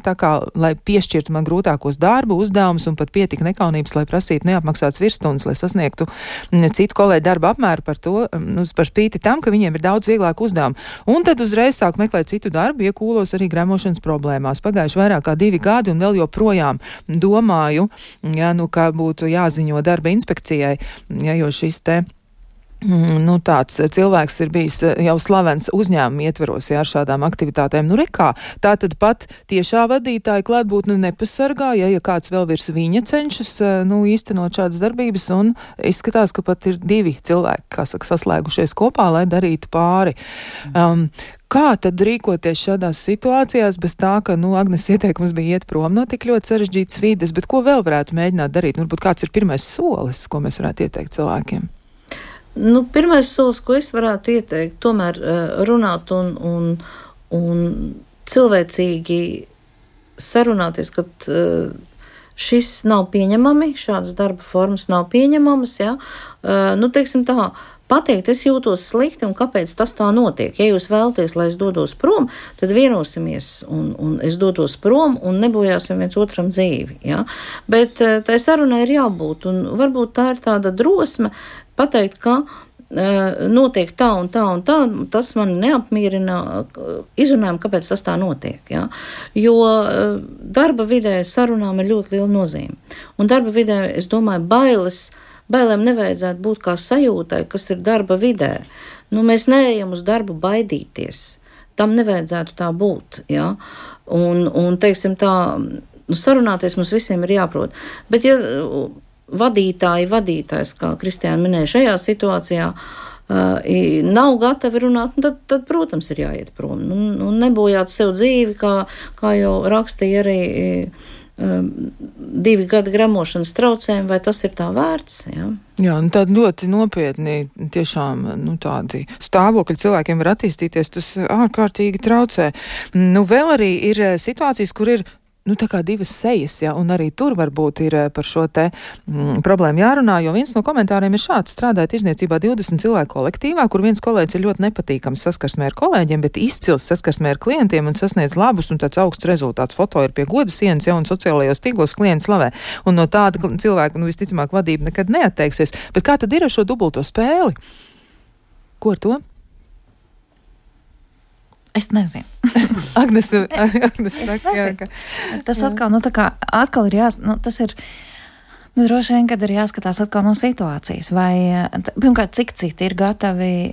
tā kā, lai piešķirtu man grūtākos darbu, uzdevumus un pat pietika nekaunības, lai prasītu neapmaksāts virsstundas, lai sasniegtu citu kolēģu darba apmēru par to, par spīti tam, ka viņiem ir daudz vieglāk uzdevumi. Un tad uzreiz sāk meklēt citu darbu, iekūlos arī gremošanas problēmās. Pagājuši vairāk kā 2 gadi un vēl joprojām domāju, ja, ka būtu jāziņo darba inspekcijai, ja, jo šis te tāds cilvēks ir bijis jau slavens uzņēmuma ietveros, ja, ar šādām aktivitātēm. Rekā, tā tad pat tiešā vadītāja klātbūtne nepasargā, ja kāds vēl virs viņa cenšas, īstenot šādas darbības, un izskatās, ka pat ir 2 cilvēki, kā saka, saslēgušies kopā, lai darītu pāri. Kā tad rīkoties šādās situācijās, bez tā, ka, Agnes ieteikums bija iet prom no tik ļoti sarežģītas vides, bet ko vēl varētu mēģināt darīt? Varbūt kāds ir pirmais solis, ko mēs varētu ieteikt cilvēkiem? Pirmais solis, ko es varētu ieteikt, tomēr runāt un cilvēcīgi sarunāties, ka šis nav pieņemami, šādas darba formas nav pieņemamas, ja? Teiksim tā, pateikt, es jūtos slikti un kāpēc tas tā notiek. Ja jūs vēlaties, lai es dodos prom, tad vienosimies un es dodos prom un nebojāsim viens otram dzīvi. Ja? Bet tai sarunai ir jābūt, un varbūt tā ir tāda drosme pateikt, ka notiek tā un tā un tā, tas man neapmierina, izrunājam, kāpēc tas tā notiek. Ja? Jo darba vidē sarunām ir ļoti liela nozīme. Un darba vidē, es domāju, bailēm nevajadzētu būt kā sajūtai, kas ir darba vidē. Mēs neejam uz darbu baidīties. Tam nevajadzētu tā būt. Ja? Un teiksim tā, sarunāties mums visiem ir jāprot. Bet ja vadītājs, kā Kristiāna minēja, šajā situācijā nav gatavi runāt, tad, protams, ir jāiet prom. Nebojāt sev dzīvi, kā jau rakstīja arī 2 gadi gremošanas traucējumi, vai tas ir tā vērts? Ja? Jā, tādi ļoti nopietni, tiešām, tādi stāvokļi cilvēkiem var attīstīties, tas ārkārtīgi traucē. Vēl arī ir situācijas, kur ir tā kā 2 sejas, ja, un arī tur varbūt ir par šo te problēmu jārunā, jo viens no komentāriem ir šāds: strādāja tirzniecībā 20 cilvēku kolektīvā, kur viens kolēģis ir ļoti nepatīkams saskarsmē ar kolēģiem, bet izcils saskarsmē ar klientiem un sasniedz labus un tāds augsts rezultāts. Foto ir pie goda sienas, ja, un sociālajos tīklos klienti slavē. Un no tāda cilvēka, visticamāk, vadība nekad neatteiksies. Bet kā tad ir ar šo dubulto spēli? Ko ar to? Es nezinu. Agnes saka, jā, ka... Tas atkal ir tas ir, droši vien, kad ir jāskatās atkal no situācijas, vai, pirmkārt, cik citi ir gatavi,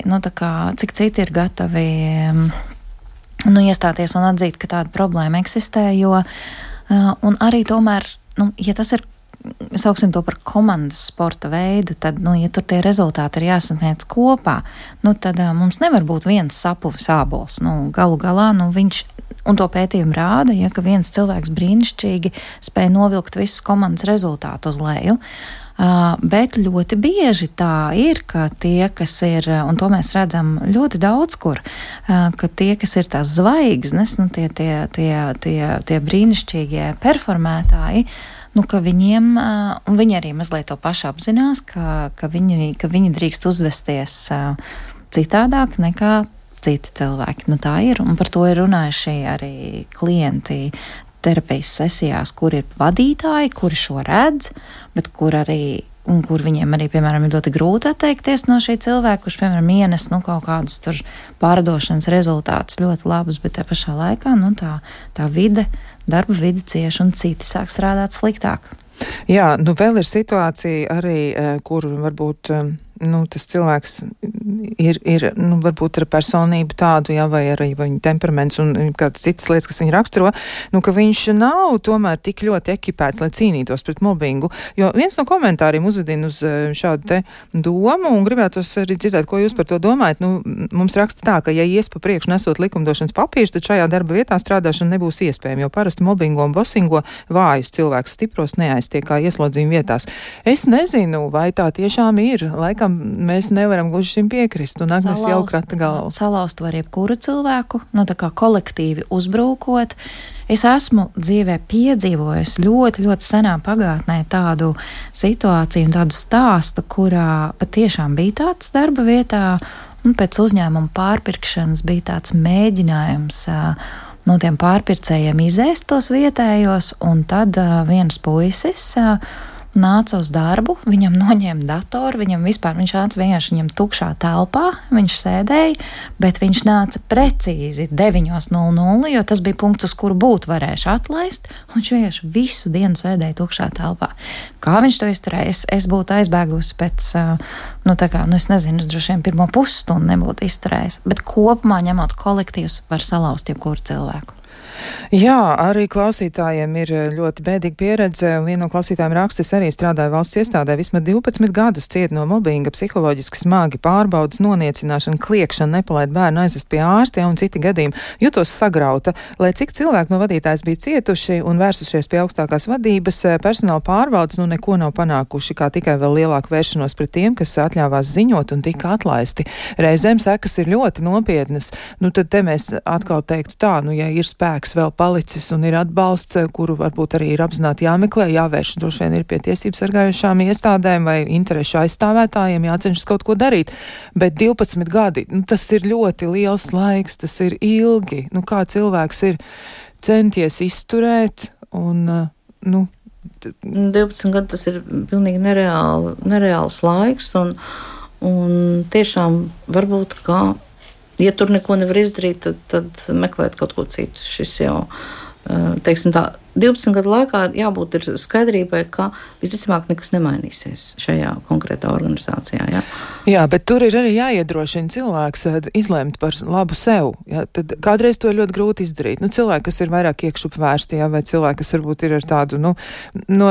iestāties un atzīt, ka tāda problēma eksistē, jo, un arī tomēr, ja tas ir, sauksim to par komandas sporta veidu, tad, ja tur tie rezultāti ir jāsasniedz kopā, tad mums nevar būt viens sapuvis ābols. Galu galā, viņš, Un to pētījumi rāda, ja ka viens cilvēks brīnišķīgi spēja novilkt visus komandas rezultātu uz leju. Bet ļoti bieži tā ir, ka tie, kas ir, un to mēs redzam ļoti daudz kur, ka tie, kas ir tās zvaigznes, nu tie brīnišķīgie performētāji, nu, ka viņiem, un viņi arī mazliet to pašu apzinās, ka viņi drīkst uzvesties citādāk nekā citi cilvēki. Nu, tā ir, un par to ir runājuši arī klienti terapijas sesijās, kur ir vadītāji, kuri šo redz, bet kur viņiem arī, piemēram, ir ļoti grūti atteikties no šī cilvēka, kurš, piemēram, ienes kaut kādus tur pārdošanas rezultātus ļoti labus, bet te pašā laikā tā vide, darba vide cieši un citi sāk strādāt sliktāk. Jā, vēl ir situācija arī, kur varbūt tas cilvēks ir varbūt ar personību tādu, jā, vai arī viņa temperaments un kādas citas lietas, kas viņu raksturo, ka viņš nav tomēr tik ļoti ekipēts, lai cīnītos pret mobbingu. Jo viens no komentāriem uzvedina uz šādu te domu un gribētos arī dzirdēt, ko jūs par to domājat. Mums raksta tā, ka ja ies pa priekšu nesot likumdošanas papīrus, tad šajā darba vietā strādāšana nebūs iespējama, jo parasti mobbingo un bosingo vājus cilvēkus stipros neaiztiek kā ieslodzījuma vietās. Es nezinu, vai tā tiešām ir. Laikam mēs nevaram gluži šim piekrist, un Agnes jau krata galvu. Salauzt var jebkuru cilvēku, tā kā kolektīvi uzbrūkot. Es esmu dzīvē piedzīvojusi ļoti, ļoti senā pagātnē tādu situāciju un tādu stāstu, kurā patiešām bija tāds darba vietā, un pēc uzņēmuma pārpirkšanas bija tāds mēģinājums no tiem pārpircējiem izēst tos vietējos, un tad viens puisis nāca uz darbu, viņam noņēma datoru, viņš nāca vienkārši viņam tukšā telpā, viņš sēdēja, bet viņš nāca precīzi 9:00, jo tas bija punkts, uz kuru būtu varējuši atlaist, un viņš vienkārši visu dienu sēdēja tukšā telpā. Kā viņš to izturēja? Es būtu aizbēgusi pēc, es nezinu, es droši vien pirmo pusstundu nebūtu izturējis, bet kopumā ņemot kolektīvus var salauzt jebkuru cilvēku. Jā, arī klausītājiem ir ļoti bēdīga pieredze. Viena no klausītājiem raksta, es arī strādāju valsts iestādē, vismaz 12 gadus ciet no mobbinga, psiholoģiski smagi pārbaudas, noniecināšana, kliekšana, nepalaid bērnu aizvest pie ārsta un citi gadījumi. Jutos sagrauta, lai cik cilvēki no vadītājas bija cietuši un vērsušies pie augstākās vadības, personāla pārbaudas neko nav panākuši, kā tikai vēl lielāku vēršanos pret tiem, kas atļāvās ziņot un tika atlaisti. Reizēm sekas ir ļoti nopietnas. Tad te mēs atkal teiktu tā, ja ir spēks vēl palicis un ir atbalsts, kuru varbūt arī ir apzināti jāmeklē, jāvērš droši vien ir pie tiesības sargājušām iestādēm vai interešu aizstāvētājiem, jācenšas kaut ko darīt. Bet 12 gadi, tas ir ļoti liels laiks, tas ir ilgi. Kā cilvēks ir centies izturēt un, 12 gadi tas ir pilnīgi nereāls laiks un tiešām varbūt ja tur neko nevar izdarīt, tad meklēt kaut ko citu. Šis jau, teiksim tā, 12 gadu laikā jābūt ir skaidrībai, ka visticamāk nekas nemainīsies šajā konkrētā organizācijā. Jā, bet tur ir arī jāiedrošina cilvēks izlemt par labu sev. Jā, tad kādreiz to ir ļoti grūti izdarīt. Cilvēki, kas ir vairāk iekšup vērsti, vai cilvēki, kas varbūt ir ar tādu,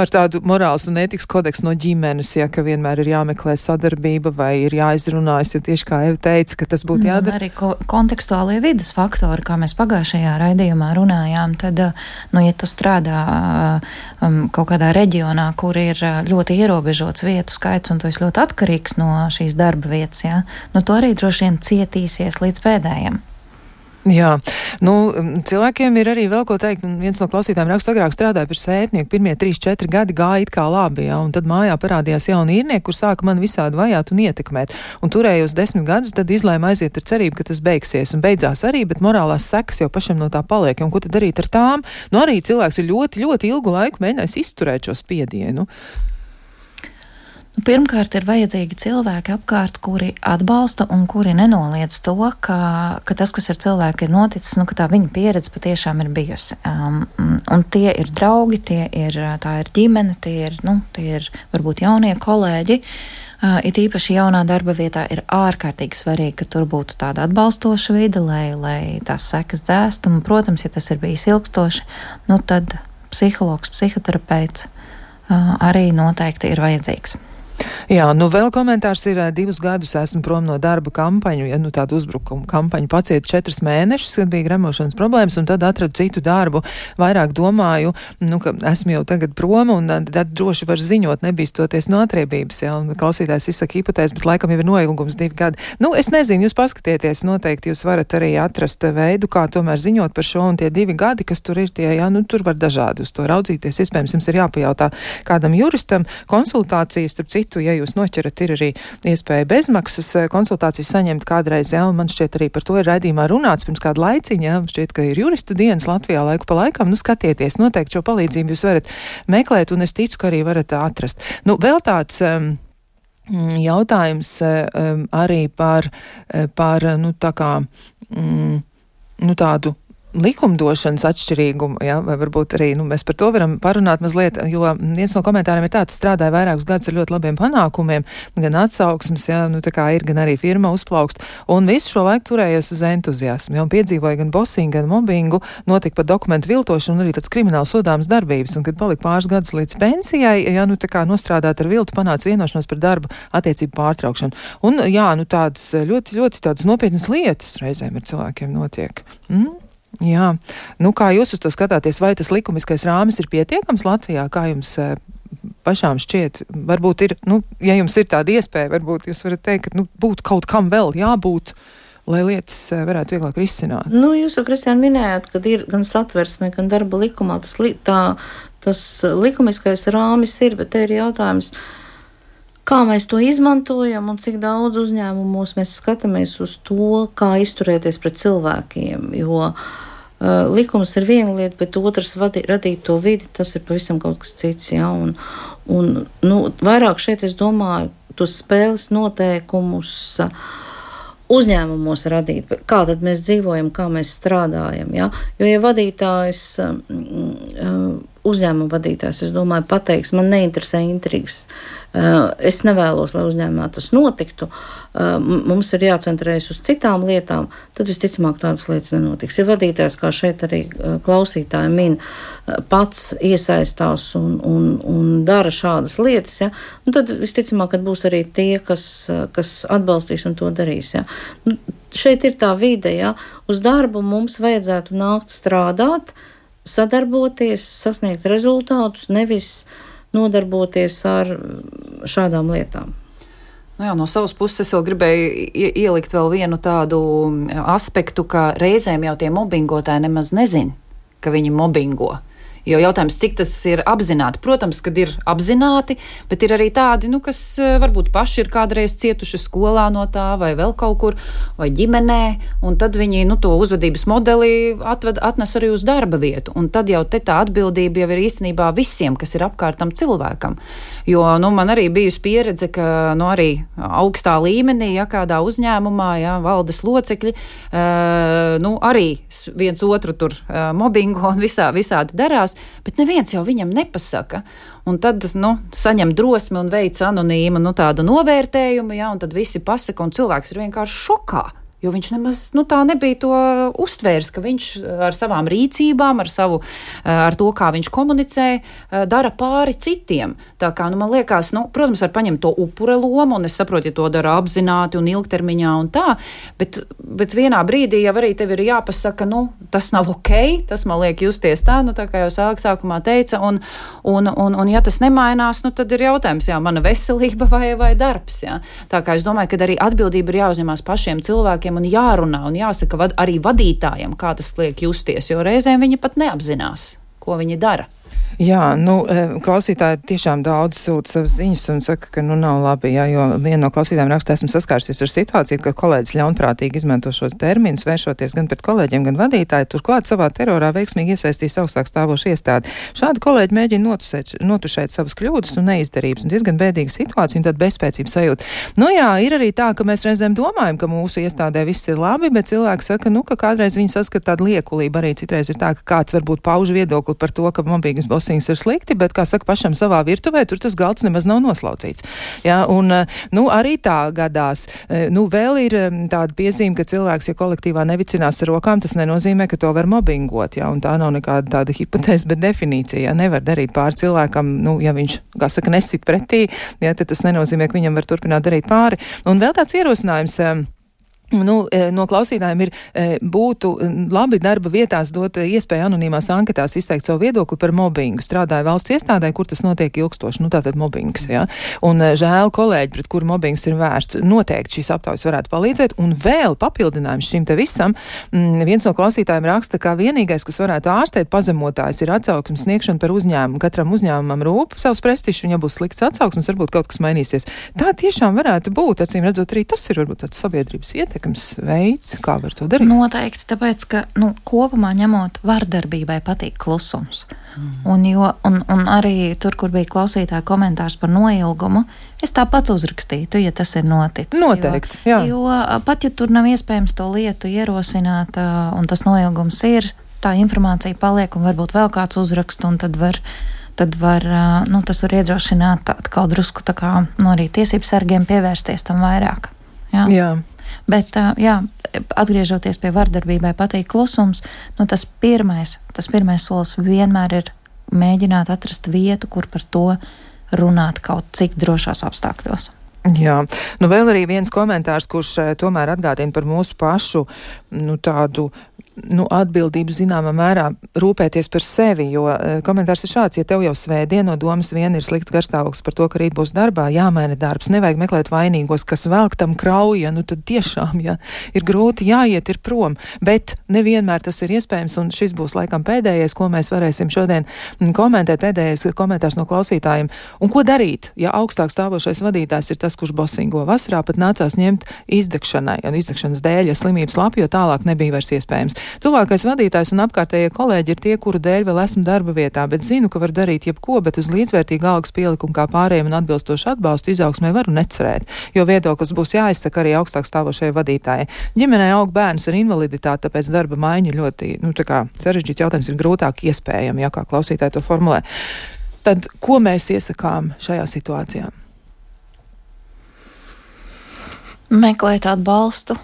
ar tādu morāls un ētikas kodeksu no ģimenes, ka vienmēr ir jāmeklē sadarbība vai ir jāizrunājas, tieši kā Eva teica, ka tas būtu jādara. Arī kontekstuālie vides faktori, kā mēs pagājušajā raidījumā runājām, tad, ja tu strādā kaut kādā reģionā, kur ir ļoti ierobežots vietu skaits un tu esi ļoti atkarīgs no šīs darba vietas, tu arī droši vien cietīsies līdz pēdējiem. Jā, cilvēkiem ir arī vēl ko teikt, un viens no klausītājiem raksta, agrāk strādāja par svētnieku, pirmie 3-4 gadi gāja it kā labi, un tad mājā parādījās jauni īrnieki, kur sāka mani visādi vajāt un ietekmēt, un turējos 10 gadus, tad izlēma aiziet ar cerību, ka tas beigsies, un beidzās arī, bet morālās sekas jau pašam no tā paliek, un ko tad darīt ar tām? Arī cilvēks ir ļoti, ļoti ilgu laiku mēģinājis izturēt šo spiedienu. Pirmkārt, ir vajadzīgi cilvēki apkārt, kuri atbalsta un kuri nenoliedz to, ka tas, kas ar cilvēku ir noticis, ka tā viņa pieredze patiešām ir bijusi. Un tie ir draugi, tā ir ģimene, tie ir varbūt jaunie kolēģi. It īpaši jaunā darba vietā ir ārkārtīgi svarīgi, ka tur būtu tāda atbalstoša vide, lai tās sekas dzēst. Un, protams, ja tas ir bijis ilgstoši, tad psihologs, psihoterapeits arī noteikti ir vajadzīgs. Jā, nu vēl komentārs ir 2 gadus esmu prom no darba kampaņu, ja nu tādu uzbrukumu kampaņu pacietu 4 mēnešus, kad bija gremošanas problēmas, un tad atradu citu darbu. Vairāk domāju, nu, ka esmu jau tagad prom, un tad droši var ziņot, nebīstoties no atriebības, ja, un klausītājs izsaka hipotēzi, bet laikam jau ir noilgums 2 gadi. Nu, es nezinu, jūs paskatieties, noteikti jūs varat arī atrast veidu, kā tomēr ziņot par šo, un tie 2 gadi, kas tur ir, tie, jā, nu, tur var dažādi uz to raudzīties. Iespējams, jums ir jāpajautā kādam juristam konsultācijas, starp citu, ja jūs noķerat, ir arī iespēja bezmaksas konsultācijas saņemt kādreiz, jā, un man šķiet arī par to ir raidījumā runāts pirms kādu laiciņu, jā, šķiet, ka ir juristu dienas Latvijā laiku pa laikam, nu skatieties, noteikti šo palīdzību jūs varat meklēt, un es ticu, ka arī varat atrast. Nu, vēl tāds jautājums arī par nu, tā kā, nu, tādu likumdošanas atšķirīgumu, ja, vai varbūt arī, nu, mēs par to varam parunāt mazliet, jo viens no komentāriem ir tāds, strādāja vairākus gadus ar ļoti labiem panākumiem, gan atsauksmes, ja, nu, tā kā ir, gan arī firma uzplaukst, un visu šo laiku turējos uz entuziasmu, ja, un piedzīvoja gan bosingu, gan mobbingu, notika pat dokumentu viltošanu un arī tāds krimināli sodāms darbības, un kad palika pāris gadus līdz pensijai, ja, nu, tā kā nostrādāt ar viltu, panāca vienošanos par darba attiecību pārtraukšanu. Un, jā, nu, tādas ļoti, ļoti tādas nopietnas lietas reizēm ar cilvēkiem notiek. Jā, nu kā jūs uz to skatāties, vai tas likumiskais rāmis ir pietiekams Latvijā, kā jums pašām šķiet? Varbūt ir, nu, ja jums ir tāda iespēja, varbūt jūs varat teikt, ka, nu, būtu kaut kam vēl jābūt, lai lietas varētu vieglāk risināt. Nu, jūs jau, Kristiāna, minējāt, ka ir gan satversmē, gan darba likumā tas likumiskais rāmis ir, bet te ir jautājums, kā mēs to izmantojam un cik daudz uzņēmumos mēs skatāmies uz to, kā izturēties pret cilvēkiem, jo likums ir viena lieta, bet otrs radīt to vidi, tas ir pavisam kaut kas cits, jā, un nu, vairāk šeit es domāju tos spēles noteikumus uzņēmumos radīt, kā tad mēs dzīvojam, kā mēs strādājam, jā, jo ja vadītājs uzņēmuma vadītājs, es domāju, pateiks, man neinteresē intrigas. Es nevēlos, lai uzņēmumā tas notiktu. Mums ir jācentrējas uz citām lietām, tad visticamāk tādas lietas nenotiks. Ja vadītājs, kā šeit arī klausītāji min, pats iesaistās un dara šādas lietas, ja, un tad visticamāk, kad būs arī tie, kas atbalstīs un to darīs. Ja. Nu, šeit ir tā vide, ja. Uz darbu mums vajadzētu nākt strādāt, sadarboties, sasniegt rezultātus, nevis nodarboties ar šādām lietām. Nu jā, no savas puses es vēl gribēju ielikt vēl vienu tādu aspektu, ka reizēm jau tie mobbingotāji nemaz nezin, ka viņi mobbingo. Jo jautājums, cik tas ir apzināti. Protams, kad ir apzināti, bet ir arī tādi, nu, kas varbūt paši ir kādreiz cietuši skolā no tā, vai vēl kaut kur, vai ģimenē, un tad viņi, nu, to uzvedības modeli atnes arī uz darba vietu. Un tad jau te tā atbildība jau ir īstenībā visiem, kas ir apkārt tam cilvēkam. Jo, nu, man arī bijusi pieredze, ka, nu, arī augstā līmenī, ja kādā uzņēmumā, ja, valdes locekļi, nu, arī viens otru tur mobbingo un visādi darās, bet neviens jau viņam nepasaka. Un tad, nu, saņem drosmi un veic anonīmu, nu, tādu novērtējumu, ja, un tad visi pasaka, un cilvēks ir vienkārši šokā. Jo viņš nemaz, nu, tā nebija to uztvērs, ka viņš ar savām rīcībām, ar to, kā viņš komunicē, dara pāri citiem. Tā kā, nu, man liekas, nu, protams, var paņemt to upura lomu, un es saprotu, ja to dara apzināti un ilgtermiņā un tā, bet vienā brīdī jau arī tev ir jāpasaka, nu, tas nav ok, tas man liek justies tā, nu, tā kā jau sākumā teica, un ja tas nemainās, nu, tad ir jautājums, jā, mana veselība vai darbs, jā. Tā kā es domāju, ka arī atbildība ir jāuzņemās pašiem cilvēkiem, un jārunā un jāsaka arī vadītājiem, kā tas liek justies, jo reizēm viņi pat neapzinās, ko viņi dara. Jā, nu, klausītāji tiešām daudz sūta savas ziņas un saka, ka, nu, nav labi, jā, jo viena no klausītājiem raksta, esmu saskārsies ar situāciju, ka kolēģis ļaunprātīgi izmanto šos terminus, vēršoties gan pret kolēģiem, gan vadītāju, turklāt savā terorā veiksmīgi iesaistīs augstāk stāvošu iestādi. Šādi kolēģi mēģina notušēt savas kļūdas un neizdarības, un diezgan bēdīga situācija un tāda bezspēcības sajūta. Nu jā, ir arī tā, ka mēs reizēm domājam, ka mūsu iestādē viss ir labi, bet cilvēki saka, nu, ka kādreiz viņi saskata tādu liekulību, arī citreiz ir tā, ka kāds varbūt pauž viedokli par to, ka mobbingas bosings ir slikti, bet, kā saka, pašam savā virtuvē, tur tas galds nemaz nav noslaucīts. Jā, un, arī tā gadās. Vēl ir tāda piezīme, ka cilvēks, ja kolektīvā nevicinās ar rokām, tas nenozīmē, ka to var mobbingot, jā, un tā nav nekāda tāda hipotēze, bet definīcija, jā, nevar darīt pāri cilvēkam, ja viņš, kā saka, nesit pretī, jā, tad tas nenozīmē, ka viņam var turpināt darīt pāri. Un vēl tāds ierosinājums, no klausītājiem būtu labi darba vietās dot iespēju anonīmās anketās izteikt savu viedokli par mobbingu. Strādāja valsts iestādē, kur tas notiek ilgstoši, tātad mobbings, jā. Un žēl kolēģi, pret kuru mobbings ir vērsts. Noteikti šīs aptaujas varētu palīdzēt. Un vēl papildinājums šim te visam. Viens no klausītājiem raksta, ka vienīgais, kas varētu ārstēt pazemotājs, ir atsauksmes sniegšana par uzņēmumu. Katram uzņēmumam rūp savs prestižs, un ja būs slikts atsauksmes, varbūt kaut kas mainīsies. Tā tiešām varētu būt. Acīm redzot, arī tas ir varbūt tāds sabiedrības veids, kā var to darīt? Noteikti, tāpēc, ka kopumā ņemot vardarbībai patīk klusums. Un arī tur, kur bija klausītāja komentārs par noilgumu, es tāpat uzrakstītu, ja tas ir noticis. Noteikti, jā. Jo pat, ja tur nav iespējams to lietu ierosināt, un tas noilgums ir, tā informācija paliek, un varbūt vēl kāds uzrakst, un tad var tas var iedrošināt atkal drusku tā kā arī tiesību sargiem pievērsties tam vairāk. Jā. Bet, atgriežoties pie vardarbībai patīk klusums, tas pirmais solis vienmēr ir mēģināt atrast vietu, kur par to runāt kaut cik drošās apstākļos. Jā, vēl arī viens komentārs, kurš tomēr atgādina par mūsu pašu, tādu atbildību zināmā mērā rūpēties par sevi, jo komentārs ir šāds, ja tev jau svētdien no domas vien ir slikts garstāvoklis par to, ka rīt būs darbā, jāmaina darbs, nevajag meklēt vainīgos, kas velk tam krauja, tad tiešām, ja ir grūti, jāiet ir prom, bet nevienmēr tas ir iespējams, un šis būs laikam pēdējais, ko mēs varēsim šodien komentēt, pēdējais komentārs no klausītājiem. Un ko darīt, ja augstāk stāvošais vadītājs ir tas, kurš bosingo? Vasarā pat nācās ņemt izdegšanai, un izdegšanas dēļ, ja slimības lapi, jo tālāk nebija vairs iespējams. Tuvākais vadītājs un apkārtējie kolēģi ir tie, kuru dēļ vēl esmu darba vietā, bet zinu, ka var darīt jebko, bet uz līdzvērtīgu algas pielikumu kā pārējiem un atbilstošu atbalstu izaugsmē varu necerēt, jo viedoklis būs jāizsaka arī augstāk stāvošajai vadītājai. Ģimenē aug bērns ar invaliditāti, tāpēc darba maiņa ļoti, sarežģīts jautājums ir grūtāk iespējami, ja kā klausītāji to formulē. Tad, ko mēs iesakām šajā situācijā? Meklēt atbalstu.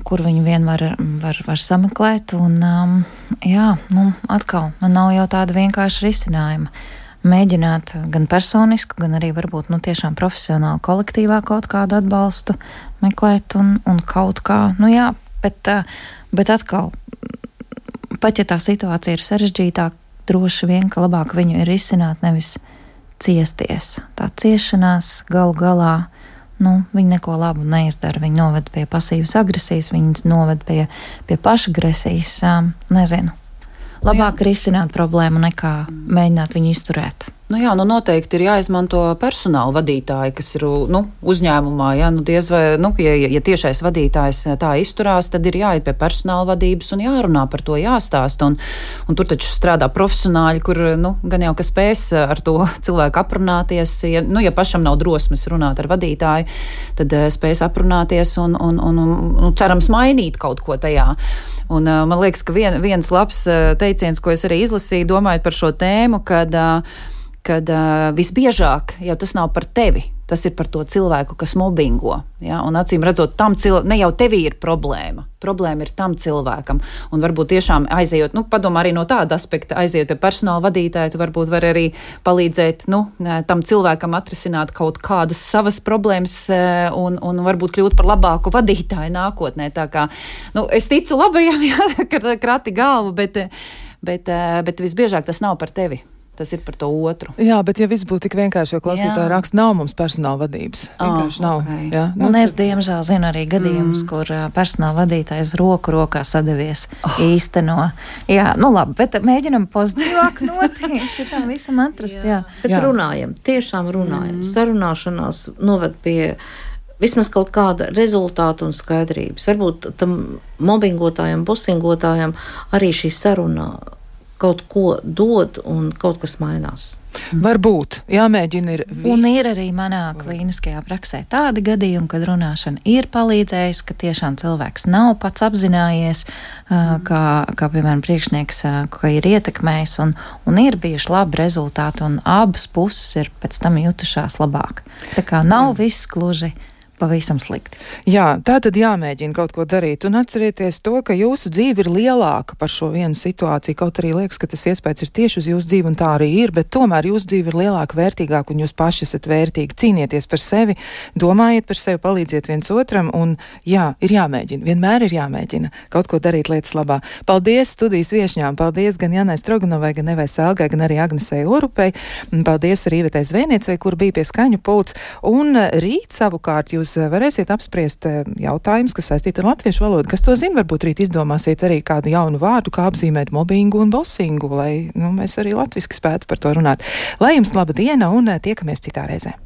Kur viņu vien var sameklēt, un atkal, man nav jau tāda vienkārša risinājuma. Mēģināt gan personisku, gan arī varbūt, tiešām profesionāli kolektīvā kaut kādu atbalstu meklēt un kaut kā, bet atkal, pat ja tā situācija ir sarežģītāka, droši vien, ka labāk viņu ir izsināt, nevis ciesties. Tā ciešanās galu galā, viņi neko labu neizdara, viņi noved pie pasīvas agresijas, viņi noved pie pašagresijas, nezinu. Labāk risināt problēmu nekā mēģināt viņu izturēt. Noteikti ir jāizmanto personāla vadītāji, kas ir uzņēmumā. Diez vai, ja tiešais vadītājs tā izturās, tad ir jāiet pie personāla vadības un jārunā par to, jāstāsta. Un tur taču strādā profesionāļi, kur gan jau, ka spēs ar to cilvēku aprunāties. Ja pašam nav drosmes runāt ar vadītāju, tad spēs aprunāties un cerams mainīt kaut ko tajā. Un man liekas, ka viens labs teiciens, ko es arī izlasīju, domājot par šo tēmu, kad visbiežāk jau tas nav par tevi, tas ir par to cilvēku, kas mobbingo. Ja? Un acīm redzot, ne jau tevī ir problēma ir tam cilvēkam. Un varbūt tiešām aizejot, padomā arī no tāda aspekta, aizejot pie personāla vadītāja, tu varbūt var arī palīdzēt tam cilvēkam atrisināt kaut kādas savas problēmas un varbūt kļūt par labāku vadītāju nākotnē. Tā kā, es ticu labajam, krati galvu, bet visbiežāk tas nav par tevi. Tas ir par to otru. Jā, bet ja viss būtu tik vienkārši, jo klausītāji raksta, nav mums personāla vadības. Vienkārši nav. Okay. Jā, es diemžēl zinu arī gadījumus, kur personāla vadītājs roku rokā sadavies īsteno. Jā, labi, bet mēģinam pozitīvāk noti šitam visam atrast. Jā. Bet runājam, tiešām runājam. Sarunāšanās noved pie vismaz kaut kāda rezultāta un skaidrības. Varbūt tam mobbingotājam, busingotājam arī šī saruna kaut ko dod un kaut kas mainās. Varbūt jāmēģina ir viss. Un ir arī manā klīniskajā praksē tādi gadījumi, kad runāšana ir palīdzējusi, ka tiešām cilvēks nav pats apzinājies, kā piemēram, priekšnieks, ka ir ietekmējis, un ir bijuši labi rezultāti, un abas puses ir pēc tam jutušās labāk. Tā kā nav viss gluži pavisam slikti. Jā, tā tad jāmēģina kaut ko darīt. Un atcerieties to, ka jūsu dzīve ir lielāka par šo vienu situāciju. Kaut arī liekas, ka tas iespējas ir tieši uz jūsu dzīvi, un tā arī ir, bet tomēr jūsu dzīve ir lielāka, vērtīgāka, un jūs paši esat vērtīgi. Cīnieties par sevi, domājiet par sevi, palīdziet viens otram, un jā, ir jāmēģina. Vienmēr ir jāmēģina kaut ko darīt lietas labā. Paldies studijas viešņām. Paldies gan Janai Stroganovai, gan Evai Sēlgai, gan arī Agnesei Orupei. Paldies arī Ivetei Zvejniecei, kur bija pie skaņu pults. Un rīt savukārt jūs varēsiet apspriest jautājumus, kas saistīti ar latviešu valodu. Kas to zina, varbūt rīt izdomāsiet arī kādu jaunu vārdu, kā apzīmēt mobbingu un bosingu, lai mēs arī latviski spētu par to runāt. Lai jums laba diena un tiekamies citā reizē.